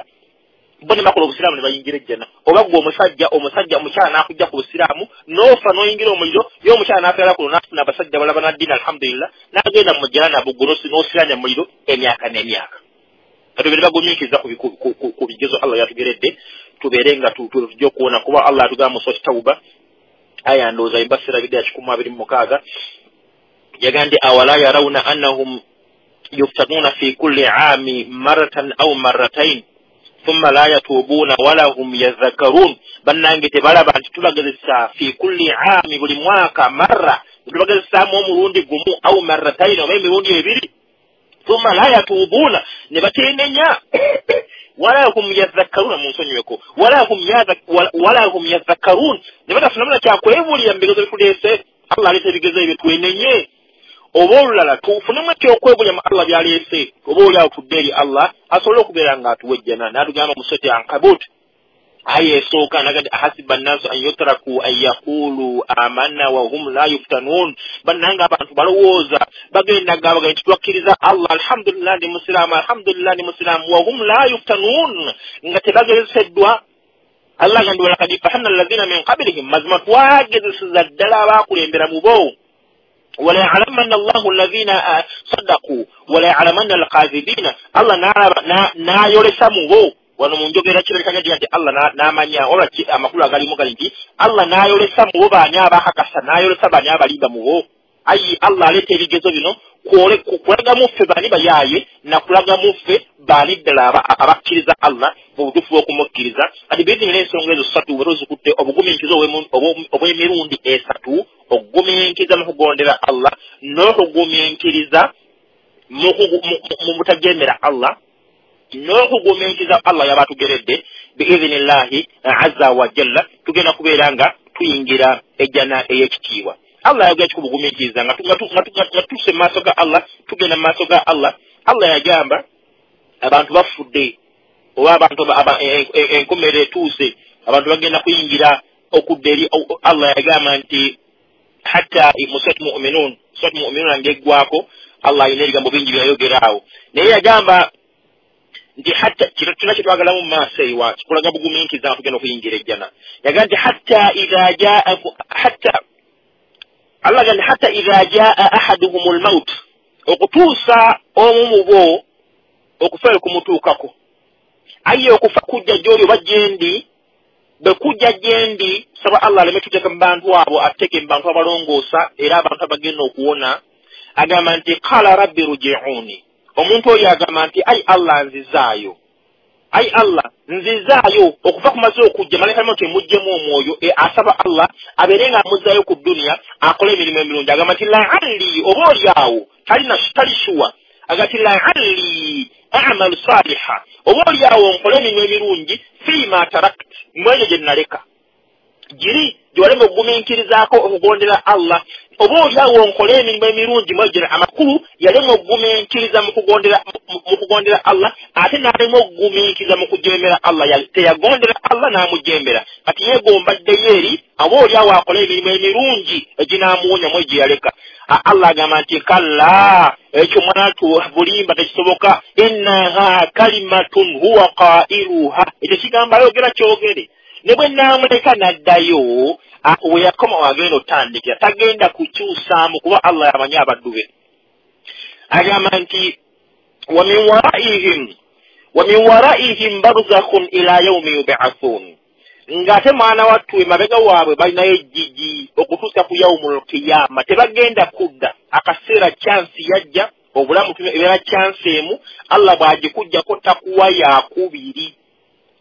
bo ne bakola obusiraamu ne bayingira ejjana. Oba gwe omusajja omusajja omukyala n'akujja ku busiraamu n'ofa n'oyingira omuliro, ye omukyala n'afiira kuno n'afuna abasajja abalala bannaddiini alhamdulillah, n'agenda mu jjana nabo gwe n'osiranya mu muliro emyaka n'emyaka. Tubeere bagumiikiriza ku bigezo Allah yatugeredde, tubeere nga tujja okuwona, kuba Allah atugamba mu Surati Tawuba aya ndowooza embasira bidde ya kikumi abiri mu mukaaga, yagamba nti awala yarawuna annahum yuftanuna fi kulli aami maratan aw marratain thumma la yatubuuna wala hum yadhakkarun. Bannange tebalaba nti tubagezesa fi kulli aami, buli mwaka marra tubagezesaamu omulundi gumu, aw marratain, oba emirundi ebiri, thumma la yatubuuna, ne bateenenya, wala hum yadhakkaruna, munsonyiweko, wala hum wala hum yadhakkarun, ne batafunamu na kyakwebulira mu bigezo bituleese. Allah aleeta ebigezo ebyo twenenye, oba olulala tufunemu ekyokwebulira mu Allah by'aleese, oba oli awo tudde eri Allah asobole okubeera ng'atuwa ejjana. N'atugamba mu Surati Ankabut aya esooka n'agamba nti ahasiba nnaasu an yutraku an yaqulu amanna wa hum la yuftanun. Bannange abantu balowooza bagenda gamba nti twakkiriza Allah, alhamdulillah ndi musiraamu, alhamdulillah ndi musiraamu, wa hum la yuftanun, nga tebagezeseddwa. Allah agamba walaqad fatanna alladhina min qablihim, mazima twagezeseza ddala abaakulembera mu bo, wala ya'lamanna Allahu alladhina sadaqu wala ya'lamanna alkadhibina. Allah n'ayolesa mu bo. Wano mu njogera kirabika nti Allah n'amanya, oba amakulu agalimu gali nti Allah n'ayolesa mu bo baani abakakasa, n'ayolesa baani abalimba mu bo. Ayi Allah aleeta ebigezo bino kulaga mu ffe baani bayaaye, na kulaga mu ffe baani ddala abakkiriza Allah mu butuufu bw'okumukkiriza. Kati biidinira ensonga ezo ssatu bwe tuzikutte, obugumiikiriza obw'emirundi esatu, okugumiikiriza mu kugondera Allah, n'okugumiikiriza mu butajeemera Allah, n'okugumiikiriza Allah yaba atugeredde biidhinillahi azza wa jalla, tugenda kubeera nga tuyingira ejjana ey'ekitiibwa. Allah yagamba kikubugumiikiriza nga tutuuse mu maaso ga Allah, tugenda mu maaso ga Allah. Allah yagamba abantu bafudde, oba abantu enkomerero etuuse, abantu bagenda kuyingira okudda eri Allah. Yagamba nti hatta mu Surati Mu'minun, Surati Mu'minun ng'eggwako, Allah alina ebigambo bingi byayogera awo, naye yagamba nti hatta kino kyonna kye twagalamu mu maaso ewa kikulaga bugumiikiriza nga tugenda okuyingira ejjana. Yagamba nti hatta idha jaa, hatta Allah agamba hatta idha jaa ahaduhumul maut, okutuusa omu mu bo okufa kumutuukako. Aye okufa kujja gy'oli oba gyendi, bwe kujja gyendi, saba Allah aleme tuteeka mu bantu abo, ateeke mu bantu abalongoosa era abantu abagenda okuwona. Agamba nti qala rabbi ruji'uni, omuntu oyo agamba nti ai Allah nzizaayo, ai Allah nzizaayo. Okuva kumaze okujja malayika mauti emuggyemu omwoyo, e, asaba Allah abeere nga amuzzaayo ku dduniya akole emirimu emirungi. Agamba nti la'alli, oba oli awo talina tali shuwa, agamba nti la'alli a'malu saliha, oba oli awo nkole emirimu emirungi fiima tarakt, mu egyo gye naleka giri gyewalema okugumiikirizaako okugondera Allah, oba oli awo nkole emirimu emirungi mu egyo. Amakulu yalema okugumiikiriza mu kugondera mu kugondera Allah, ate n'alema okugumiikiriza mu kujeemera Allah. Teyagondera Allah n'amujeemera, kati yeegomba ddeyo eri oba oli awo akole emirimu emirungi eginaamuwonya mu egyo yaleka. Allah agamba nti kalla, ekyo mwanatu bulimba tekisoboka, innaha kalimatun huwa qailuha, ekyo kigambo ayogera kyogere, ne bwe naamuleka n'addayo we yakoma wagenda otandikira, tagenda kukyusaamu kuba Allah yamanyi abaddu be. Agamba nti wa min waraihim wa min waraihim barzakhun ila yaumi yub'athun, ng'ate mwana wattu emabega waabwe balinayo ejjiji okutuusa ku yaumul qiyama, tebagenda kudda. Akaseera chansi yajja, obulamu ebeera chansi emu, Allah bw'agikuggyako takuwa yakubiri,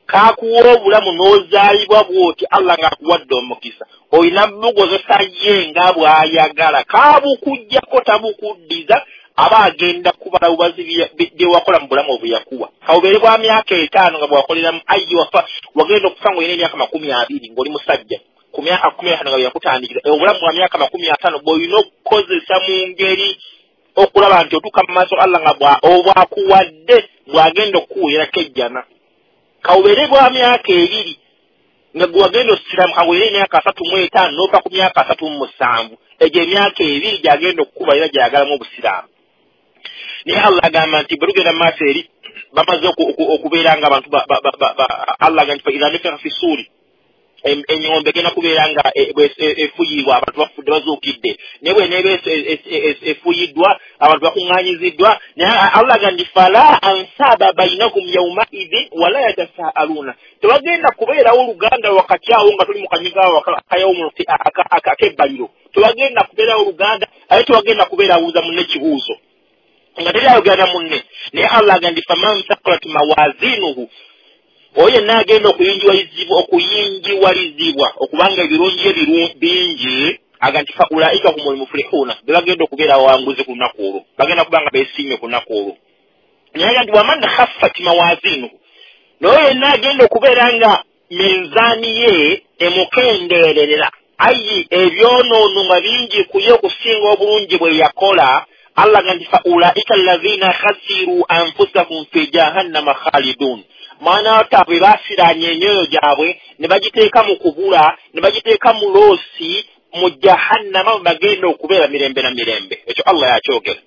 kakuwa obulamu n'ozaalibwa bw'oti Allah ng'akuwadde omukisa, olina bukozesa ye nga bw'ayagala, kabukuggyako tabukuddiza, aba agenda kubala bubazi bye wakola mu bulamu obwe yakuwa. Kawubeere bwa myaka etaano nga bwakoleramu, ayi wafa wagenda okufa ng'olina emyaka makumi abiri ng'oli musajja, ku myaka kumi etaano nga bwe yakutandikira, obulamu bwa myaka makumi ataano bw'olina okukozesa mu ngeri okulaba nti otuuka mu maaso Allah nga obwakuwadde bw'agenda okukuweerako ejjana. Kawubeere bwa myaka ebiri nga gwe wagenda osiramu, kawubeere emyaka asatu mu etaano n'ofa ku myaka asatu mu musanvu, egyo emyaka ebiri gy'agenda okukuba era gy'ayagalamu obusiraamu. Naye Allah agamba nti bwe tugenda mu maaso eri bamaze okubeera nga abantu Allah agamba nti fa idha nufikha fi ssuuri, ennyombe egenda kubeera nga efuuyibwa, abantu bafudde bazuukidde, naye bw'eneeba efuuyiddwa abantu bakuŋŋaanyiziddwa. Naye Allah agamba nti fala ansaba bainakum yawmaidhin wala yatasaaluna, tewagenda kubeerawo oluganda wakati awo nga tuli mu kanyigo awo ak'ebbaliro, tewagenda kubeerawo oluganda, ate tewagenda kubeerawuuza munne kibuuzo nga teri ayogera na munne. Naye Allah agamba nti faman thaqulat mawazinuhu, oyo yenna agenda okuyingiwalizibwa okuyingiwalizibwa okubanga ebirungi bingi, agamba nti fa ulaika humul muflihuna, be bagenda okubeera abawanguzi ku lunaku olwo, bagenda kuba nga beesiimye ku lunaku olwo. Naye agamba nti waman khaffat mawazinuhu, n'oyo yenna agenda okubeera nga minzaani ye emukendeerera, ayi ebyonoono nga bingi ku ye okusinga obulungi bwe yakola, Allah agamba nti fa ulaika alladhina khasiru anfusahum fi jahannama khalidun, mwana wataabwe baasiraanye emyoyo gyabwe ne bagiteeka mu kubula, ne bagiteeka mu loosi mu jahannama, bagenda okubeera mirembe na mirembe. Ekyo Allah yakyogera.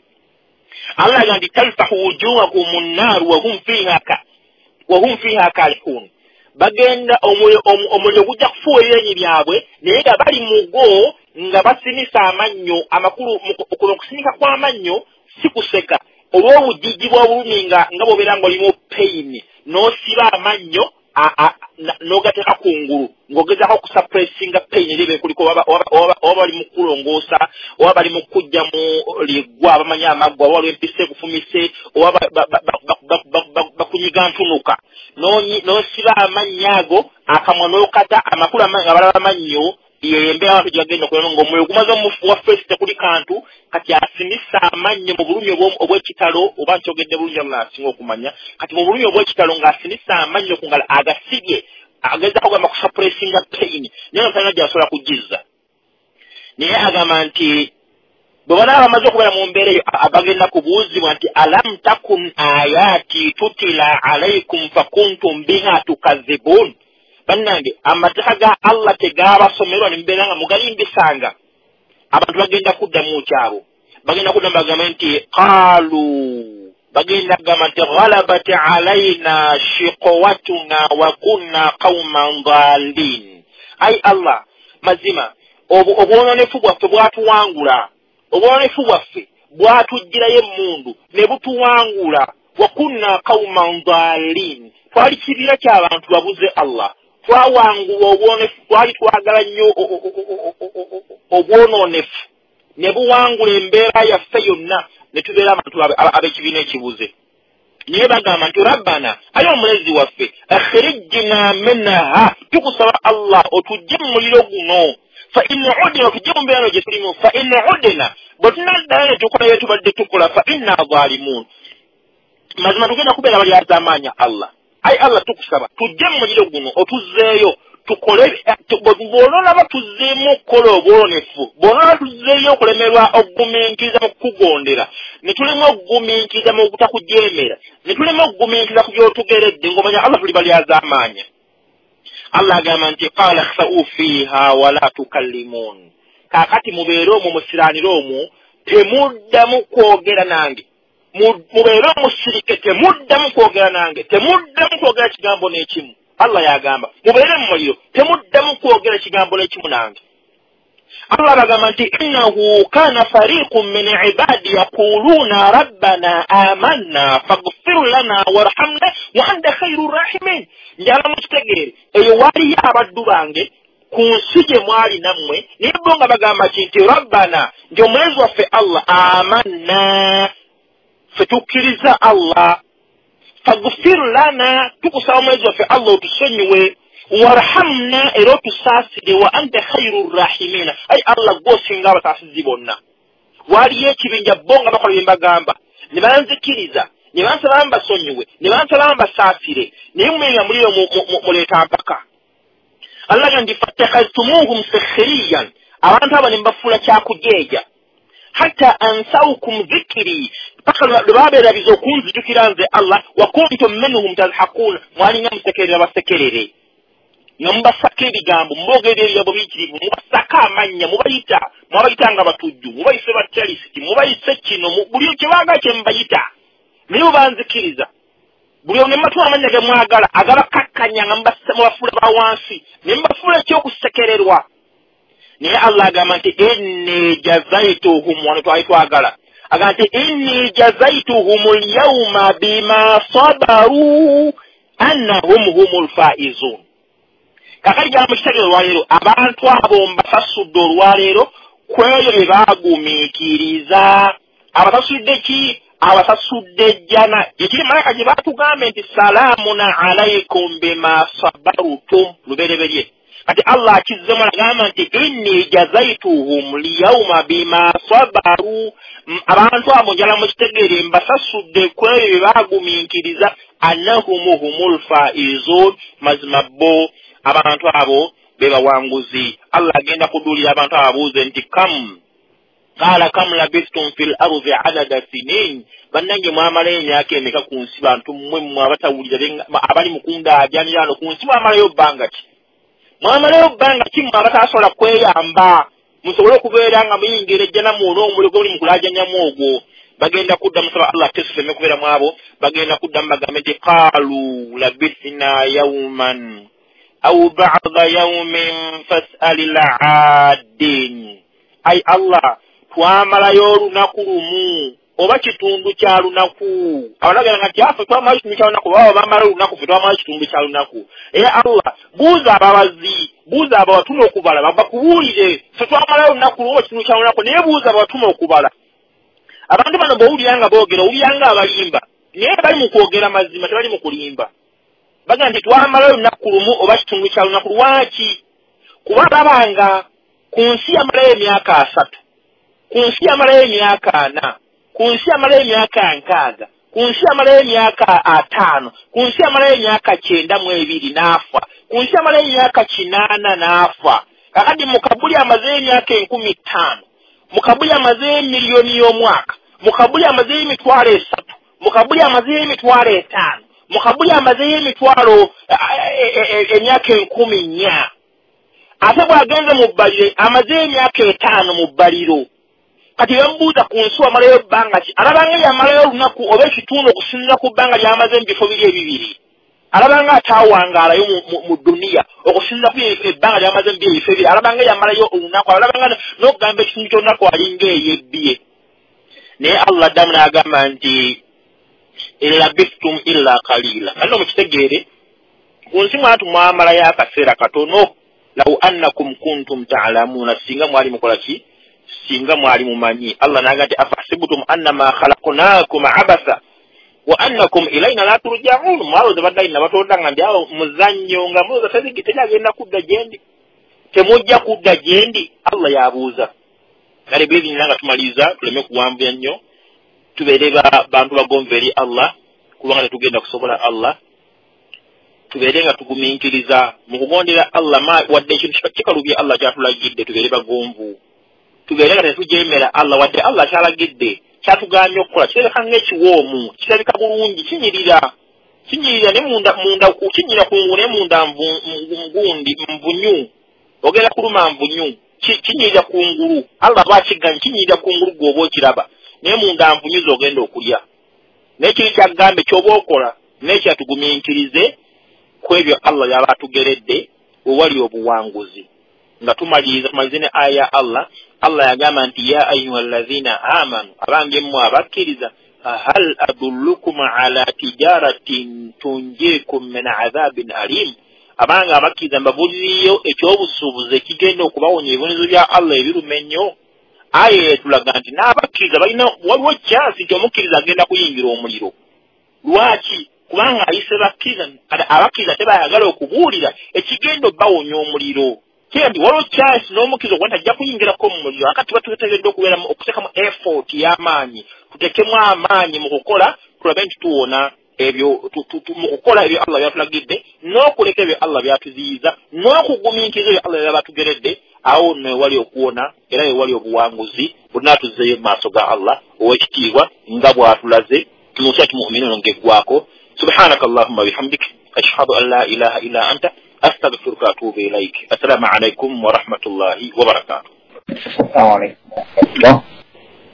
Allah agamba nti talfahu wujuhakum nnaaru wahum fiha wahum fiha kalihun, bagenda omuliro gujja kufuuwa ebyenyi byabwe naye nga bali mugo nga basinisa amannyo. Amakulu kuno okusinika kw'amannyo si kuseka, olw'obujiji bw'obulumi nga nga bw'obeera ng'olimu peyini n'osiba amannyo n'ogateeka ku ngulu ng'ogezaako okusuppressinga peyini eri eba ekuliko, oba bali mu kulongoosa, oba bali mu kuggyamu liggwa abamanyi amaggwa, oba waliwo empisa ekufumise, oba bakunyiga ntunuka, n'osiba amannyo ago akamwa n'okata, amakulu nga balaba amannyo yembeera abantu gyebagenda okubeera ng'omuliro gumaze omufuwa feesi tekuli kantu, kati asimisa amannyo mu bulumi obw'ekitalo, oba nkyogedde bulungi Allah asinga okumanya, kati mu bulumi obw'ekitalo ng'asimisa amannyo ku ngalo agasibye, agezaako kugamba kusuppressinga peyini, naye nga talina gy'asobola kugizza. Naye agamba nti bwe banaaba bamaze okubeera mu mbeera eyo bagenda kubuuzibwa nti alam takun ayati tutila alaikum fakuntum biha tukazibun, bannange amateeka ga Allah tegaabasomerwa ne mubeera nga mugalimbisanga. Abantu bagenda kuddamu kyabo, bagenda kuddamu bagambe nti qaalu, bagenda kugamba nti ghalabat alaina shiqwatuna wa kunna qauman dhalin, ai Allah mazima obwononefu bwaffe bwatuwangula, obwononefu bwaffe bwatuggyirayo emmundu ne butuwangula, Wa kunna qauman dhalin, twali kibiina ky'abantu babuze Allah, twawangulwa obwonefu, twali twagala nnyo obwonoonefu ne buwangula embeera yaffe yonna ne tubeera abantu ab'ekibiina ekibuze. Naye bagamba nti rabbana, ayi omulezi waffe, akhrijna minha, tukusaba Allah otujje mu muliro guno, fa in udna, otujje mu mbeera gye tulimu, fa in udna, bwe tunaddayo ne tukola bye tubadde tukola, fa inna zalimun, mazima tugenda kubeera balyazaamaanya Allah. Ayi Allah tukusaba tujje mu muliro guno otuzzeeyo tukole, bw'onoolaba tuzzeemu okukola obwonefu, bw'onoolaba tuzzeeyo okulemerwa okugumiikiriza mu kukugondera, ne tulema okugumiikiriza mu butakujeemera, ne tulema okugumiikiriza ku by'otugeredde, ng'omanya Allah tuli balyazaamaanya. Allah agamba nti qala khsa'u fiiha wala tukallimun, kaakati mubeere omwo musiraanire omwo, temuddamu kwogera nange, mubeere omusirike, temuddamu kwogera nange, temuddamu kwogera kigambo n'ekimu. Allah yagamba mubeere mu muliro, temuddamu kwogera kigambo n'ekimu nange. Allah bagamba nti innahu kana fariqun min ibadi yaquluna rabbana amanna faghfir lana warhamna wa anta khairur rahimin. Njagala mukitegeere, eyo waliyo abaddu bange ku nsi gye mwali nammwe, naye bo nga bagamba ki nti rabbana, nti omulezi waffe Allah, amanna, ffe tukkiriza Allah, faghfir lana, tukusaba omulezi waffe Allah otusonyiwe, warhamna, era otusaasire, wa anta khairu rahimina, ayi Allah gw'osinga abasaasizi bonna. Waliyo ekibinja bo nga bakola bye mbagamba, ne banzikiriza, ne bansaba mbasonyiwe, ne bansaba mbasaasire, naye mmwe nga muliyo muleeta mpaka. Allah agamba nti fattakhadhtumuhum sikhriyan, abantu abo ne mbafuula kyakujeeja, hatta ansawkum dhikri, paka lwe babeerabiza okunzijukira nze Allah, wa kuntum minhum tadhakun, mwalinga musekerera basekerere, nga mubasaka ebigambo, muboogera ebigambo biyitirivu, mubasaka amannya, mubayita, mwabayita nga batujju, mubayise batyalisiti, mubayise kino, buli kye baagala kye mubayita, naye mubanzikiriza. Buli omu ne mubatuwa amannya ge mwagala agabakakkanya nga mubafuula ba wansi, ne mubafuula ekyokusekererwa. Naye Allah agamba nti inni jazaituhum, wano twali twagala, agamba nti inni jazaituhum alyawma bima sabaru annahum humul faizun. Kakati jala mukitegeere olwaleero, abantu abo mbasasudde olwaleero ku ebyo bye baagumiikiriza. Abasasudde ki? Abasasudde ejjana. Ekiri malayika gye baatugambe nti salaamun alaykum bima sabarutum, lubereberye. Kati Allah akizzemu agamba nti inni jazaituhum liyawma bima sabaru, abantu abo njala mukitegeere mbasasudde ku ebyo bye baagumiikiriza, annahum humul faizun, mazima bo abantu abo be bawanguzi. Allah agenda kuduulira abantu abo abuuze nti kam qala kam labistum fil ardi adada sinin, bannange mwamalayo emyaka emeka ku nsi, bantu mmwe mmwe abatawulira abali mu kundaajanira wano ku nsi, mwamalayo bbanga ki? Mwamalayo bbanga ki mmwe abatasobola kweyamba musobole okubeera nga muyingira ejjana mwona omuliro gwe muli mu kulaajanyamu ogwo? Bagenda kuddamu, saba Allah tesufeme kubeera mu abo, bagenda kuddamu bagambe nti qaalu labisna yawman aw ba'da yawmin fas'alil 'aadin. Ai Allah, twamalayo olunaku lumu oba kitundu kya lunaku. Abalagala nga nti affe twamalayo kitundu kya lunaku, baba bamala olunaku, ffe twamalayo kitundu kya lunaku. Era Allah, buuza ababazi, buuza ababatuma okubala, bakubuulire, ffe twamalayo olunaku lumu oba kitundu kya lunaku, naye buuza ababatuma okubala. Abantu bano bw'owulira nga boogera, owulira nga abalimba, naye bali mu kwogera mazima, tebali mu kulimba. Bagamba nti twamalayo olunaku lumu oba kitundu kya lunaku. Lwaki? Kuba babanga ku nsi yamalayo emyaka asatu, ku nsi yamalayo emyaka ana, ku nsi yamalayo emyaka nkaaga, ku nsi yamalayo emyaka ataano, ku nsi yamalayo emyaka kyenda mu ebiri n'afa, ku nsi yamalayo emyaka kinaana n'afa. Kakati mu kabuli amazeeyo emyaka enkumi ttaano, mu kabuli amazeeyo miliyoni y'omwaka, mu kabuli amazeeyo emitwalo esatu, mu kabuli amazeeyo emitwalo etaano, mu kabuli amazeeyo emitwalo emyaka enkumi nnya. Ate bw'agenze mu bbaliro amazeeyo emyaka etaano mu bbaliro. Kati bamubuuza ku nsi wamalayo bbanga ki? Alabanga yamalayo olunaku oba ekitundu okusinziira ku bbanga ly'amaze mu bifo biri ebibiri. Alabanga ataawangaalayo mu duniya okusinziira ku ebbanga ly'amaze mu bifo ebibiri. Alabanga yamalayo olunaku, alabanga n'okugamba ekitundu ky'olunaku alinga eyebbye. Naye Allah addamu n'agamba nti In labithtum illa qalila. Kano mukitegeere ku nsi mwatu mwamalayo akaseera katono. Law annakum kuntum ta'lamuna, singa mwali mukola ki, singa mwali mumanyi. Allah n'agamba nti afahsibtum annama khalaqnakum abasa wa annakum ilayna la turja'un. Mwalowooza baddayi nabatonda nga ndi awo muzannyo, nga mulowooza teryagenda kudda gyendi, temujja kudda gyendi. Allah yabuuza. Kale biizinira nga tumaliriza, tuleme kuwanvuya nnyo, tubeere bantu bagonvu eri Allah, kubanga tetugenda kusobola Allah. Tubeere nga tugumiikiriza mu kugondera Allah, wadde ekintu kikalubye Allah kyatulagidde, tubeere bagonvu. Tubeere nga tetujeemera Allah, wadde Allah kyalagidde kyatugambye okukola kirabika ng'ekiwoomu, kirabika bulungi, kinyirira kinyirira ne munda munda kinyirira kungulu ne munda ngundi nvunyu, ogenda kuluma nvunyu, kinyirira kungulu. Allah bw'akiganye kinyirira kungulu gw'oba okiraba, naye munda nvunyu z'ogenda okulya. Naye kiri kyagambe ky'oba okola, naye kyatugumiikirize ku ebyo Allah yaba atugeredde wewali obuwanguzi. Nga tumaliriza, tumalirize ne aya ya Allah. Allah yagamba nti ya ayyuhallazina amanu, abange mmwe abakkiriza, hal adullukum ala tijaratin tunjikum min adhabin alim. Abange abakkiriza, mbabuuliriyo ekyobusuubuzi ekigenda okubawonya ebibonerezo bya Allah ebiruma ennyo. Aya etulaga nti n'abakkiriza balina, waliwo kyansi nti omukkiriza agenda kuyingira omuliro. Lwaki? Kubanga ayise bakkiriza, abakkiriza tebayagala okubuulira ekigenda obbawonya omuliro. Kyendi waliwo kyansi n'omukkiriza okuba nti ajja kuyingirako mu muliro. Akati tuba tuteekeddwa okubeeramu okuteekamu effort y'amaanyi, tuteekemu amaanyi mu kukola, tulabe nti tuwona ebyo mu kukola ebyo Allah byatulagidde, n'okuleka ebyo Allah byatuziyiza, n'okugumiikiriza ebyo Allah byaba atugeredde. Awo nno ewali okuwona era ewali obuwanguzi. Bonna tuzzeeyo mu maaso ga Allah ow'ekitiibwa nga bw'atulaze mu Surati Mu'minuun ng'eggwako. Subhanaka Allahumma bihamdik, ashhadu an la ilaha illa anta, astaghfiruka wa atubu ilaik. Assalamu alaikum wa rahmatullahi wa barakatuh. Assalamu alaikum.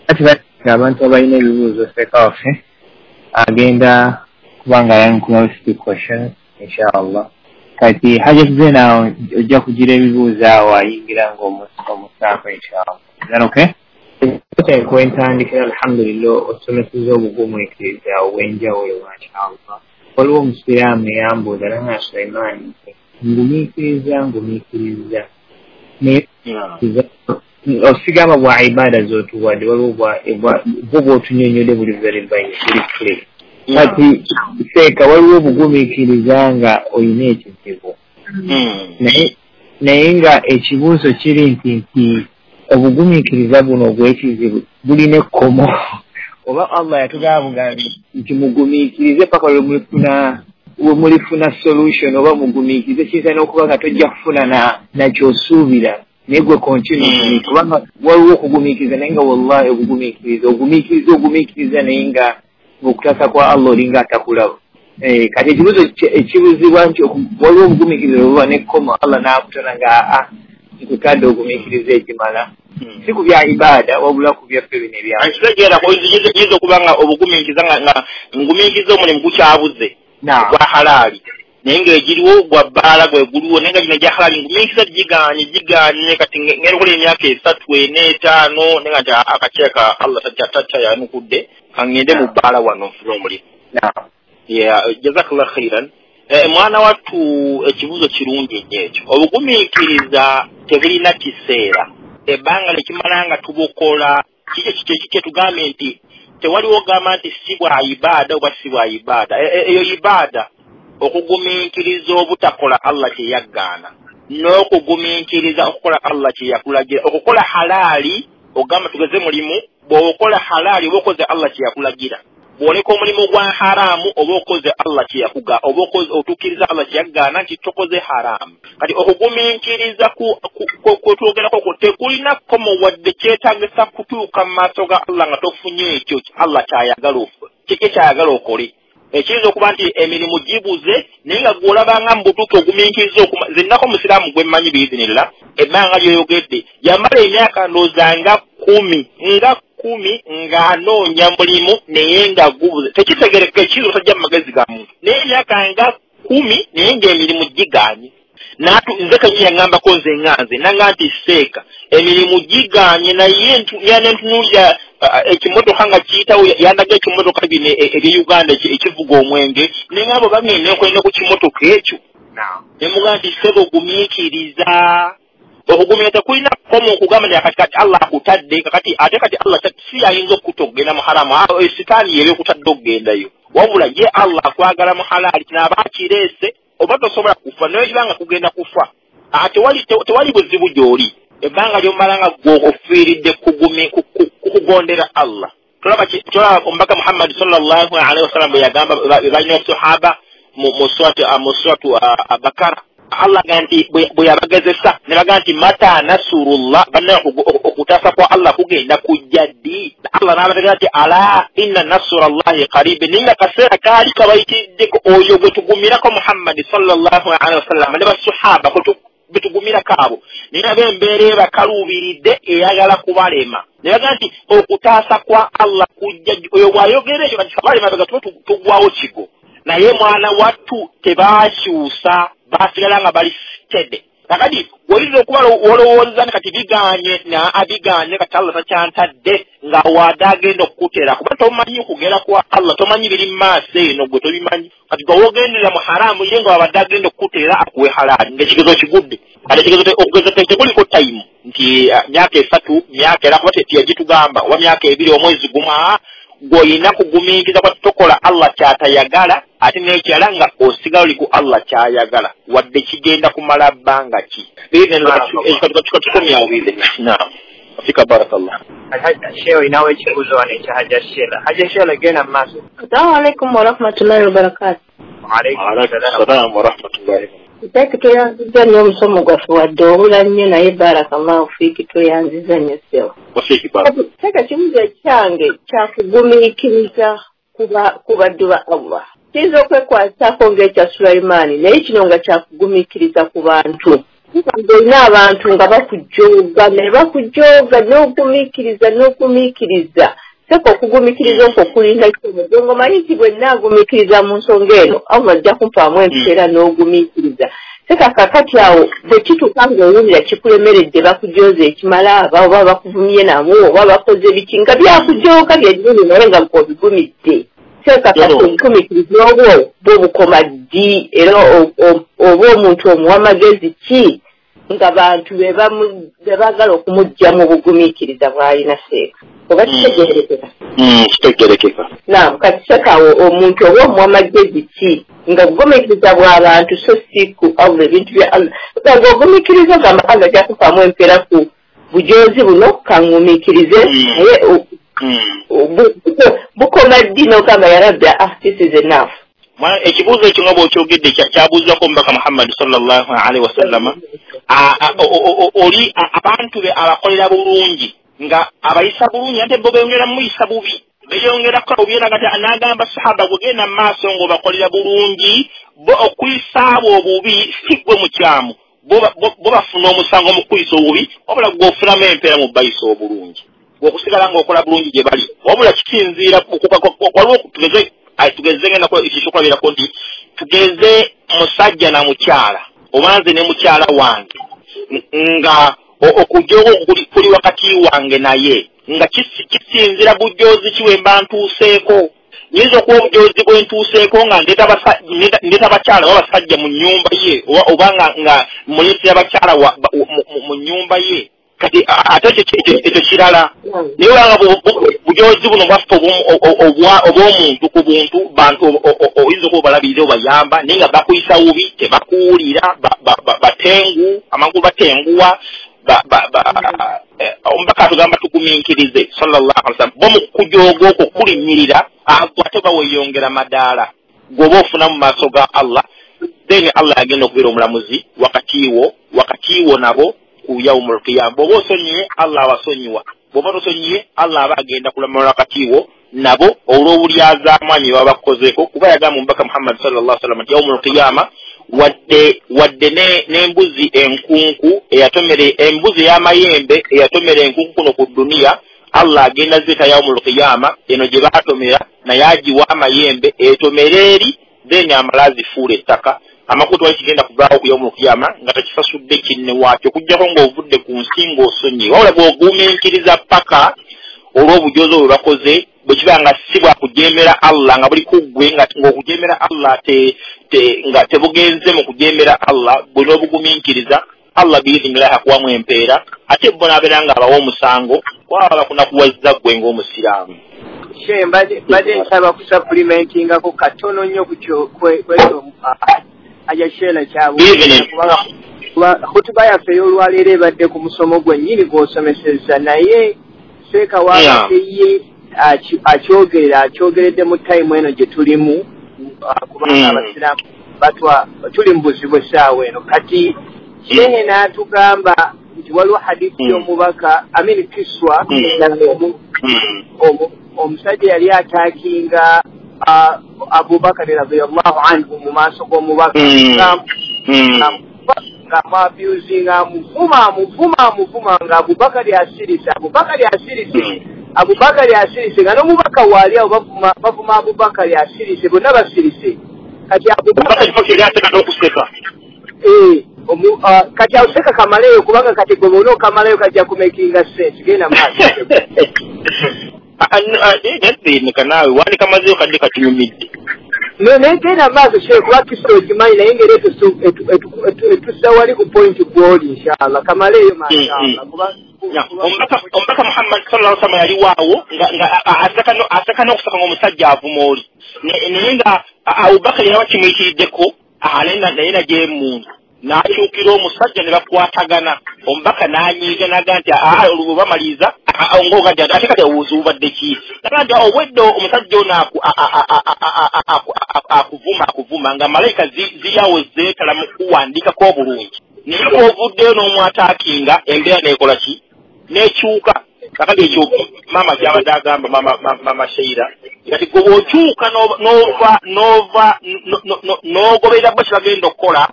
Kati abantu abalina ebibuuzo seeka waffe agenda kubanga ayanukula few questions inshallah. Kati Hajat Zena ojja kugira ebibuuzo awo ayingira ng'omusaako inshallah. Is that okay? Kwentandikira alhamdulillah osomeseza obugumiikiriza obw'enjawulo mashallah. Waliwo omusiraamu eyambuuza nanga Sulaiman, ngumiikiriza ngumiikiriza naye osigamba bwa ibada z'otuwadde, waliwo bwo bw'otunyonnyodde buli very buli clear. Kati seeka waliwo obugumiikiriza nga olina ekizibu, naye naye nga ekibuuzo kiri nti nti obugumiikiriza buno obw'ekizibu bulina ekkomo. Oba Allah yatugamba nti mugumiikirize paka lwe mulifuna we mulifuna solution, oba mugumiikirize kiyinza n'okuba nga tojja kufuna nakyosuubira, naye gwe continue, kubanga waliwo okugumiikiriza naye nga wallahi obugumiikiriza ogumiikiriza ogumiikiriza naye nga ng'okutaasa kwa Allah olinga atakulaba. Kati ekibuuzo ekibuuzibwa nti waliwo obugumiikiriza obuba n'ekkomo Allah n'akutona nga aa nkutadde ogumiikiriza ekimala, si ku bya ibada wabula ku byaffe bino ebya nkitegeera. Yinza okuba nga obugumiikiriza nga ngumiikiriza omulimu gukyabuze gwa halaali, naye ng'egiriwo gwa bbaala gwe guliwo, naye nga gino egya halaali ngumiikiriza giganye giganye kati ngenda okukola emyaka esatu ena etaano, naye nga nti akaceeka Allah takyayanukudde, kangende mu bbaala wano nfune omulimu. Jazakallah khairan. Mwana wattu ekibuuzo kirungi nnyo ekyo. Obugumiikiriza tebulina kiseera, ebbanga lekimala nga tubukola. Kiki kyetugambye nti tewaliwo gamba nti si bwa ibaada oba si bwa ibaada. Eyo ibaada, okugumiikiriza obutakola Allah kye yaggaana, n'okugumiikiriza okukola Allah kye yakulagira. Okukola halaali, ogamba tugeze mulimu, bw'okola halaali oba okoze Allah kye yakulagira. Bw'oleka omulimu gwa haramu oba okoze Allah kye yakuga, oba otuukiriza Allah kye yagaana nti tokoze haramu. Kati okugumiikiriza kwetwogerako tekulina kkomo wadde kyetaagisa kutuuka mu maaso ga Allah nga tofunye ekyo Allah kyayagala kyayagala okole. Ekiyinza okuba nti emirimu gibuze, naye nga gw'olabanga mu butuufu ogumiikiriza. Nze nnako omusiraamu gwe mmanyi biizinillah, ebbanga lyoyogedde yamala emyaka ndowooza nga kkumi nga kkumi ng'anoonya mulimu naye nga gubuze, tekitegerekeka, ekiyinza obutajja mu magezi ga muntu, naye emyaka nga kkumi naye ng'emirimu gigaanye. Natu nze kennyini yaŋŋambako nze nga nze nanga nti seeka emirimu giganye naye ntunuulira ekimotoka nga kiyitawo yandaga ekimotoka bino ebye Uganda ekivuga omwenge ne ŋŋamba bagenda nkolera ku kimotoka ekyo ne mugamba nti ssebo gumiikiriza okugumira tekulina kkomo okugamba nti kati kati Allah akutadde kakati ate kati Allah si ayinza okukutta okugenda mu haramu sitaani yeba ekutadde okugendayo wabula ye Allah akwagala mu halaali kinaaba akireese oba tosobola kufa naye kibanga kugenda kufa tewali tewali buzibu gy'oli ebbanga ly'omala nga gwe ofiiridde kukugondera Allah tolaba tolaba omubaka Muhammad sallallahu alaihi wasallam bwe yagamba balina sahaba mu suratu mu suratu Bakara Allah agamba nti bwe yabagezesa ne bagamba nti mata nasurullah banna okutaasa kwa Allah kugenda kujja ddi Allah n'abategeeza nti ala inna nasurallahi qarib ninga kaseera kaali kabayitiddeko oyo gwe tugumirako Muhammad sallallahu alaihi wasallam ne basahaba betugumirako abo naye nabo embeera ebakaluubiridde eyagala kubalema ne bagamba nti okutaasa kwa Allah kujja oyo bw'ayogera ekyo kati kabalema bega tuba tugwawo kigo naye mwana wattu tebakyusa basigala nga bali steady kakati oyinza okuba olowooza nti kati biganye na abiganye kati Allah takyantadde nga wadde agenda okukutera kuba tomanyi kugera kwa Allah tomanyi biri mu maaso eno gwe tobimanyi kati gwe wogenderera mu haramu ye nga wabadde agenda okukutera akuwe halaali ng'ekigezo kigudde kati ekigezo okugeza tekuliko tayimu nti myaka esatu myaka era kuba teyagitugamba oba myaka ebiri omwezi gumu gw'olina kugumiikiriza kuba tokola Allah ky'atayagala ate n'ekirala nga osigala oli ku Allah ky'ayagala wadde kigenda kumala bbanga ki tukomyawo naam fika barakallah Sheikh olinawo ekibuuzo wano ekya Hajja Sheila Hajja Sheila genda mu maaso. Assalamu alaikum warahmatullahi wabarakatuh. Wa alaikum warahmatullahi. Seeka tweyanziza nnyo omusomo gwaffe wadde obula nnyo naye barakallahu fiiki tweyanziza nnyo ssebo. Seeka ekibuuzo kyange kyakugumiikiriza ku baddu ba Allah. Kiyinza okwekwataako ng'ekya Sulaimaani naye kino nga kyakugumiikiriza ku bantu. Olina abantu nga bakujooga naye bakujooga n'ogumiikiriza n'ogumiikiriza. Seeka okugumiikiriza okwo kulinda ki omanyi nti bwe nnaagumiikiriza mu nsonga eno Allah ajja kumpaamu empeera n'ogumiikiriza. Seeka kaakati awo bwe kituuka ng'owulira kikulemeredde bakujooza ekimala aba oba bakuvumye namu oba bakoze biki nga byakujooga byennyini naye nga obigumidde. Seeka kati obugumiikiriza obwo bwo bukoma ddi era oba omuntu omuwa amagezi ki nga bantu be baagala okumuggya mu bugumiikiriza bw'alina seeka. Oba kitegeerekeka? Kitegeerekeka. Naam, kati seeka awo omuntu oba omuwa amagezi ki nga bugumiikiriza bw'abantu so si ku Allah ebintu bya Allah. Ng'ogumiikiriza ogamba Allah ajja kukupaamu empeera ku bujoozi buno kangumiikirize naye bukoma ddi n'ogamba ya Rabbi ah this is enough. Ekibuuzo ekyo nga bw'okyogedde kyabuuzwako omubaka Muhammad sallallahu alaihi wasallama oli abantu be abakolera bulungi nga abayisa bulungi ate bo beeyongera muyisa bubi beeyongera kukola bubi era kati n'agamba sahaba gwe genda mu maaso ng'obakolera bulungi bo okuyisa abo obubi si ggwe mukyamu bo bafuna omusango mu kuyisa obubi wabula ggwe ofunamu empeera mu bayisa obulungi okusigala ng'okola bulungi gye bali wabula kisinziira waliwo tugeze tugeze ngenda ekyokulabirako nti tugeze musajja na mukyala oba nze ne mukyala wange nga okujooga kuli wakati wange naye nga kisinziira bujoozi ki bwe mba ntuuseeko nyinza okuba obujoozi bwe ntuuseeko nga ndeeta bakyala oba basajja mu nnyumba ye oba nga muleetera bakyala mu nnyumba ye kati ate ekyo kirala naye olanga bujozi buno bwaffe obw'omuntu ku buntu bantu oyinza okuba obalabirira obayamba naye nga bakuyisa bubi tebakuwulira batengu amangu batenguwa omubaka atugamba tugumiikirize sallallahu alaihi wasallam bo mu kujooga okwo kulinnyirira ate oba weeyongera madaala gweoba ofuna mu maaso ga Allah then Allah agenda okubeera omulamuzi wakati wo wakati wo nabo ku yaumul qiyama bw'oba osonyiye Allah abasonyiwa bw'oba tosonyiye Allah aba agenda kulamula wakati wo nabo olw'obulyazaamaanyi baba bakukozeeko kuba yagamba omubaka Muhammad sallallahu alaihi wasallam nti yaumul qiyama wadde wadde n'embuzi enkunku eyatomere embuzi ey'amayembe eyatomera enkunku kuno ku duniya Allah agenda zita yaumul qiyama eno gye baatomera naye agiwa amayembe etomere eri then amala azifuula ettaka Amakulu twali kigenda kuvaawo ku yawmul qiyama nga tekisasudde kinne waakyo, okuggyako ng'ovudde ku nsi ng'osonyiye. Wabula bw'ogumiikiriza paka olw'obujozi obwe bakoze, bwe kiba nga si bwa kujeemera Allah, nga buli ku ggwe ng'okujeemera Allah te, te, nga tebugenze mu kujeemera Allah, bwe n'obugumiikiriza Allah biidhinillahi akuwamu empeera, ate bo n'abeera nga abawa omusango kwaba bakunakuwazza ggwe ng'omusiraamu. She mbadde mbadde nsaba kusupplementingako katono nnyo ku kwekyo Haja Sheila kyabuuza, kuba hutuba yaffe ey'olwaleero ebadde ku musomo gwennyini gw'osomesezza, naye seeka wabadde ye akyogerera akyogeredde mu tayimu eno gye tulimu, kubanga abasiraamu batwa tuli mu buzibu essaawa eno. Kati shehe n'atugamba nti waliwo hadithi y'omubaka Amin Kiswa, omusajja yali ataakinga Abubakari radiyallahu anhu mu maaso g'omubaka, ng'amuabusinga, amuvuma amuvuma amuvuma, nga Abubakari asirise, Abubakari asirise, Abubakari asirise, nga n'omubaka waali awo bavuma bavuma Abubakari asirise, bonna basirise. Kati Abubakari yali okuseka eh kati awuseka kamaleyo, kubanga kati gwe bw'ona okamalayo kajja kumakinga sense. Genda maaso. Nedda naawe wandikamazeeyo kadde katunyumidde. Naye genda maaso shehe, kuba kisa okimanyi, naye ngeri etussa wali ku point gw'oli inshallah. Kamaleyo mashallah. Omubaka Muhammad sallallahu alaihi wasallam yali waawo nga aseka n'okuseka ng'omusajja avuma oli, naye nga Abubakari yali bakimuyitiriddeko, naye naye emundu n'akyukira omusajja ne bakwatagana. Omubaka n'anyiiga n'agamba nti aa olwo bamaliriza ng'oga nti ate kati obuzibu bubadde ki? N'agamba nti obwedde omusajja ono akuvuma akuvuma nga malayika ziri awo zeetala mu kuwandiikako obulungi, naye bw'ovuddeyo n'omwataakinga embeera n'ekola ki? N'ekyuka. Kakati ekyo maama kyabadde agamba maama Sheila, kati gwe bw'okyuka n'ova n'ova n'ogoberera bo kye bagenda okukola,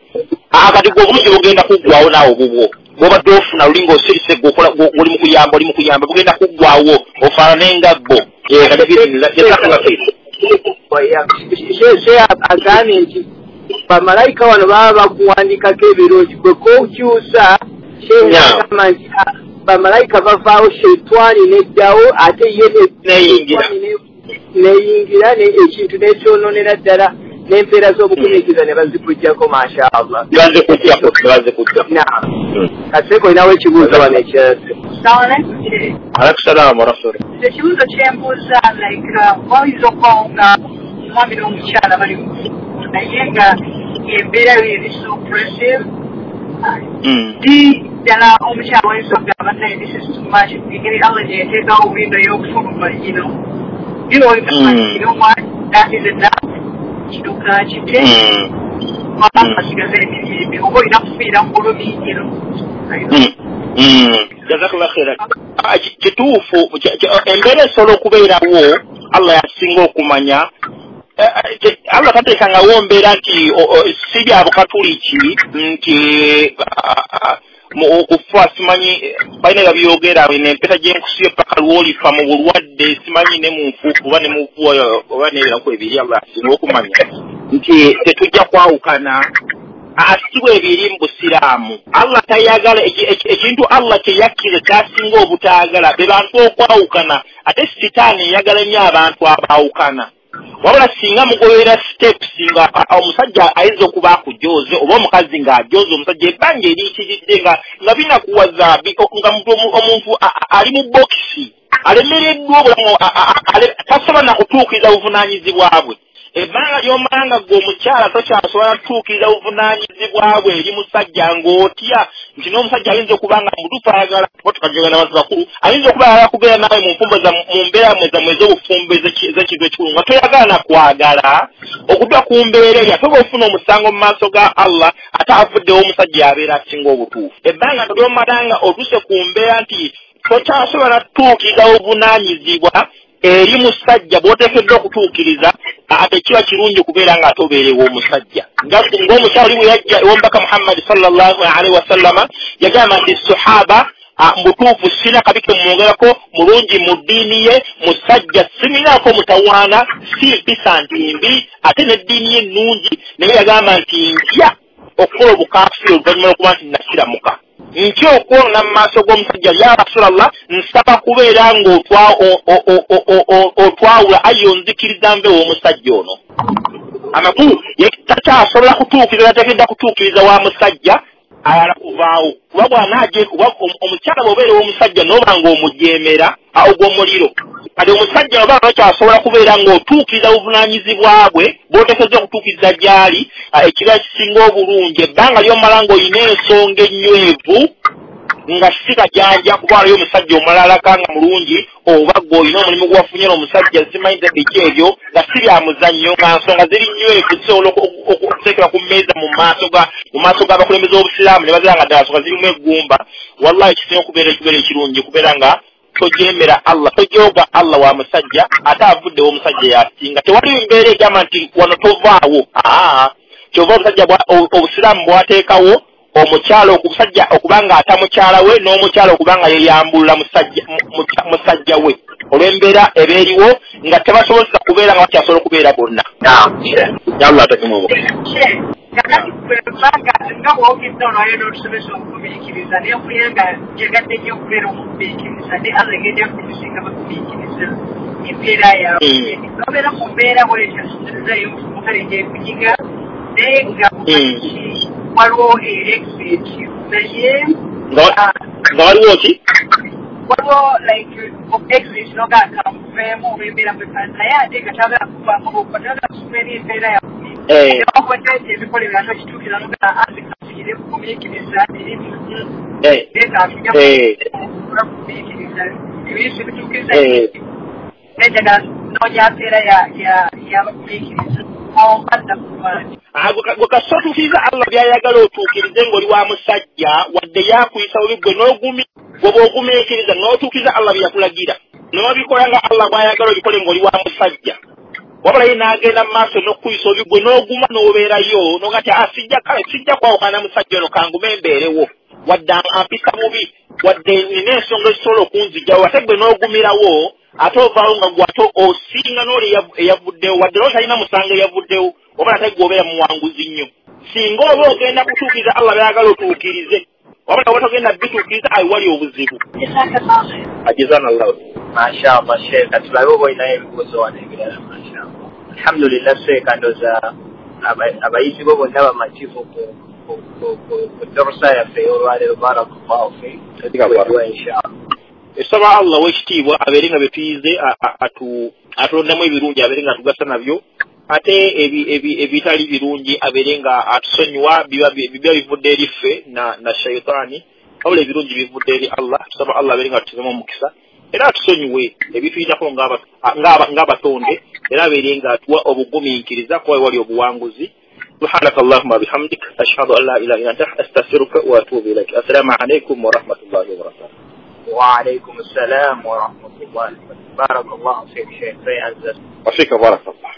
kati gwe obulungi bugenda kuggwawo naawe bubwo bw'obadde ofuna luli ng'osirise gwe oli mu kuyamba oli mu kuyamba bugenda kuggwawo ofaanane nga bo. Shehe agambye nti bamalayika wano baba bakuwandikako ebirungi, gwe k'okyusa. Shehe agamba nti bamalayika bavaawo, sheitwani neddawo, ate ye neyingira ekintu n'ekyononera ddala, n'empeera z'obugumiikiriza ne bazikuggyako mashallah. Kaseeko olinawo ekibuuzo wano ekirala? Alaikum salaam warahmatullahi. Ekibuuzo kyembuuza, like wayinza okubaawo nga omwami n'omukyala bali naye nga embeera yo eri so oppressive, di ddala omukyala wayinza okugamba naye this is too much, engeri Allah gye yateekawo windo y'okufuluma, you know you know you know what, that is enough, kino kakite asigaze emirembe, oba olina kufiira mu bulumi, you know. Jazakallah khairan. Kituufu embeera esobola okubeerawo, Allah yasinga okumanya. Allah tateekangawo mbeera nti si bya bukatuliki nti okufa simanyi balina babyogera n'empeta gy'enkusiyo paka lw'olifa mu bulwadde simanyi ne mu nfuufu oba ne mu oba n'ebiraku ebiri. Allah yasinga okumanya nti tetujja kwawukana. Si bwe biri mu busiraamu. Allah tayagala ekintu Allah kye yakkiriza kyasinga obutaagala be bantu okwawukana, ate sitaani eyagala nnyo abantu abaawukana. Wabula singa mugoberera steps nga omusajja ayinza okuba akujooze oba omukazi ng'ajooze omusajja ebbanga eriyitiridde nga nga binakuwaza nga omuntu ali mu bokisi alemereddwa obulamu tasobola na kutuukiriza buvunaanyizibwa bwe. Ebbanga ly'omala nga ggwe omukyala tokyasobola kutuukiriza buvunaanyizibwa bwe eri musajja ng'otya nti n'omusajja ayinza okuba nga mutuufu ayagala oba tukajogera n'abantu bakulu, ayinza okuba ayagala kubeera naawe mu nfumbo mu mbeera mmwe zammwe ez'obufumbo ez'ekintu ekikulu nga toyagala na kwagala okudda ku mbeera eyo, ate ofuna omusango mu maaso ga Allah ate avuddewo omusajja abeera asinga obutuufu. Ebbanga ly'omala nga otuuse ku mbeera nti tokyasobola kutuukiriza buvunaanyizibwa eri musajja bw'oteekeddwa okutuukiriza, ate kiba kirungi okubeera nga ate obeerewo omusajja. Ng'omukyala oli bwe yajja ew'omubaka Muhammad sallallahu alaihi wasallama yagamba nti sahaba Mutuufu sina kabi ke mwongerako, mulungi mu ddiini ye, musajja siminaako mutawaana, si mpisa nti mbi, ate n'eddiini ye nnungi, naye yagamba nti ntya okukola obukaafiri oluvannyuma lw'okuba nti nasiramuka. Ntya okwonona mu maaso g'omusajja, ya Rasulallah, nsaba kubeera ng'otwawula ayi onzikiriza nve w'omusajja ono. Amakulu takyasobola kutuukiriza, tateekeddwa kutuukiriza wa musajja ayala kuvaawo. Kuba bw'anaaje, kuba omukyala bw'obeera ow'omusajja n'oba ng'omujeemera ogw'omuliro. Kati omusajja oba takyasobola kubeera ng'otuukiriza buvunaanyizibwa bwe bw'oteekeddwa okutuukiriza gy'ali, ekiba kisinga obulungi ebbanga ly'omala ng'olina ensonga ennywevu nga si kajanja, kuba waliyo omusajja omulala nga mulungi, oba gwe olina omulimu gwe wafunye n'omusajja simanyi biki ebyo nga si bya muzannyo, nga nsonga ziri nnywevu zisobola okuteekebwa ku mmeeza mu maaso ga mu maaso g'abakulembeze b'obusiraamu ne bazira nga ddala nsonga zirimu eggumba. Wallahi kisinga okubeera ekibeera ekirungi kubeera nga tojemera Allah, tojooga Allah wa musajja, ate avuddewo omusajja yasinga. Tewali mbeera egamba nti wano tovaawo. Aa, kyova obusajja obusiraamu bwateekawo omukyala okusajja okubanga ata mukyala we n'omukyala okubanga yeyambulula musajja musajja we olw'embeera ebeeriwo nga tebasobozesa kubeera nga bakyasobola okubeera bonna. Allah atekemu omukisa. Kakati kubanga nga bw'ogedde olwaleero n'otusomesa okugumiikiriza, naye mpulira nga njagadde nnyo okubeera omugumiikiriza, ne Allah egenda kutusinga bagumiikiriza embeera yaabwe. N'obeera mu mbeera bw'etyo mukale gyekunyiga, naye nga waliwo exit, naye nga waliwo ki? Waliwo like exit n'ogamba kanveemu oba embeera bw'efaanana, naye ate nga tayagala kuvaako okuba tayagala kusoma eri embeera yaabwe. Gwe kasita otuukiriza Allah by'ayagala otuukirize ng'oli wa musajja, wadde yakuyisa bubi gwe n'ogumi gwe bw'ogumiikiriza n'otuukiriza Allah bye yakulagira n'obikola nga Allah bw'ayagala obikole ng'oli wa musajja, wabula ye n'agenda mu maaso n'okukuyisa obubi gwe n'oguma n'obeerayo n'oga nti sijja kale sijja kwawukana musajja ono kangume mbeerewo, wadde ampisa bubi, wadde nina ensonga ezisobola okunzigyawo, ate gwe n'ogumirawo ate ovaawo nga gwe ate osinga n'oli eyavuddewo, wadde n'oli talina musango eyavuddewo, wabula ate gwe obeera muwanguzi nnyo. Singa oba ogenda kutuukiriza Allah by'ayagala otuukirize, wabula oba togenda bituukiriza ayi wali obuzibu. Ajizana Allah. Mashallah Sheikh, tulabe oba olinayo ebibuuzo wano ebirala. Mashallah. Alhamdulillah Sheikh, ndowooza abayizi bo bonna bamativu ku ku darusa yaffe ey'olwaleero. Barakallahu fiik. Inshallah. Esaba Allah w'ekitiibwa abeere nga bye tuyize atulondamu ebirungi, abeere nga atugasa nabyo, ate ebitali birungi abeere nga atusonyiwa, biba bivudde eri ffe na shaitaani, wabula ebirungi bivudde eri Allah. Tusaba Allah abeere nga atutezemu omukisa era atusonyiwe ebituyitako ng'abatonde, era abeere nga atuwa obugumiikiriza kuba wali obuwanguzi. سبحانك اللهم وبحمدك أشهد أن لا إله إلا أنت أستغفرك وأتوب إليك. السلام عليكم ورحمة الله وبركاته. وعليكم السلام ورحمة الله. بارك الله فيك شيخ. وفيك بارك الله.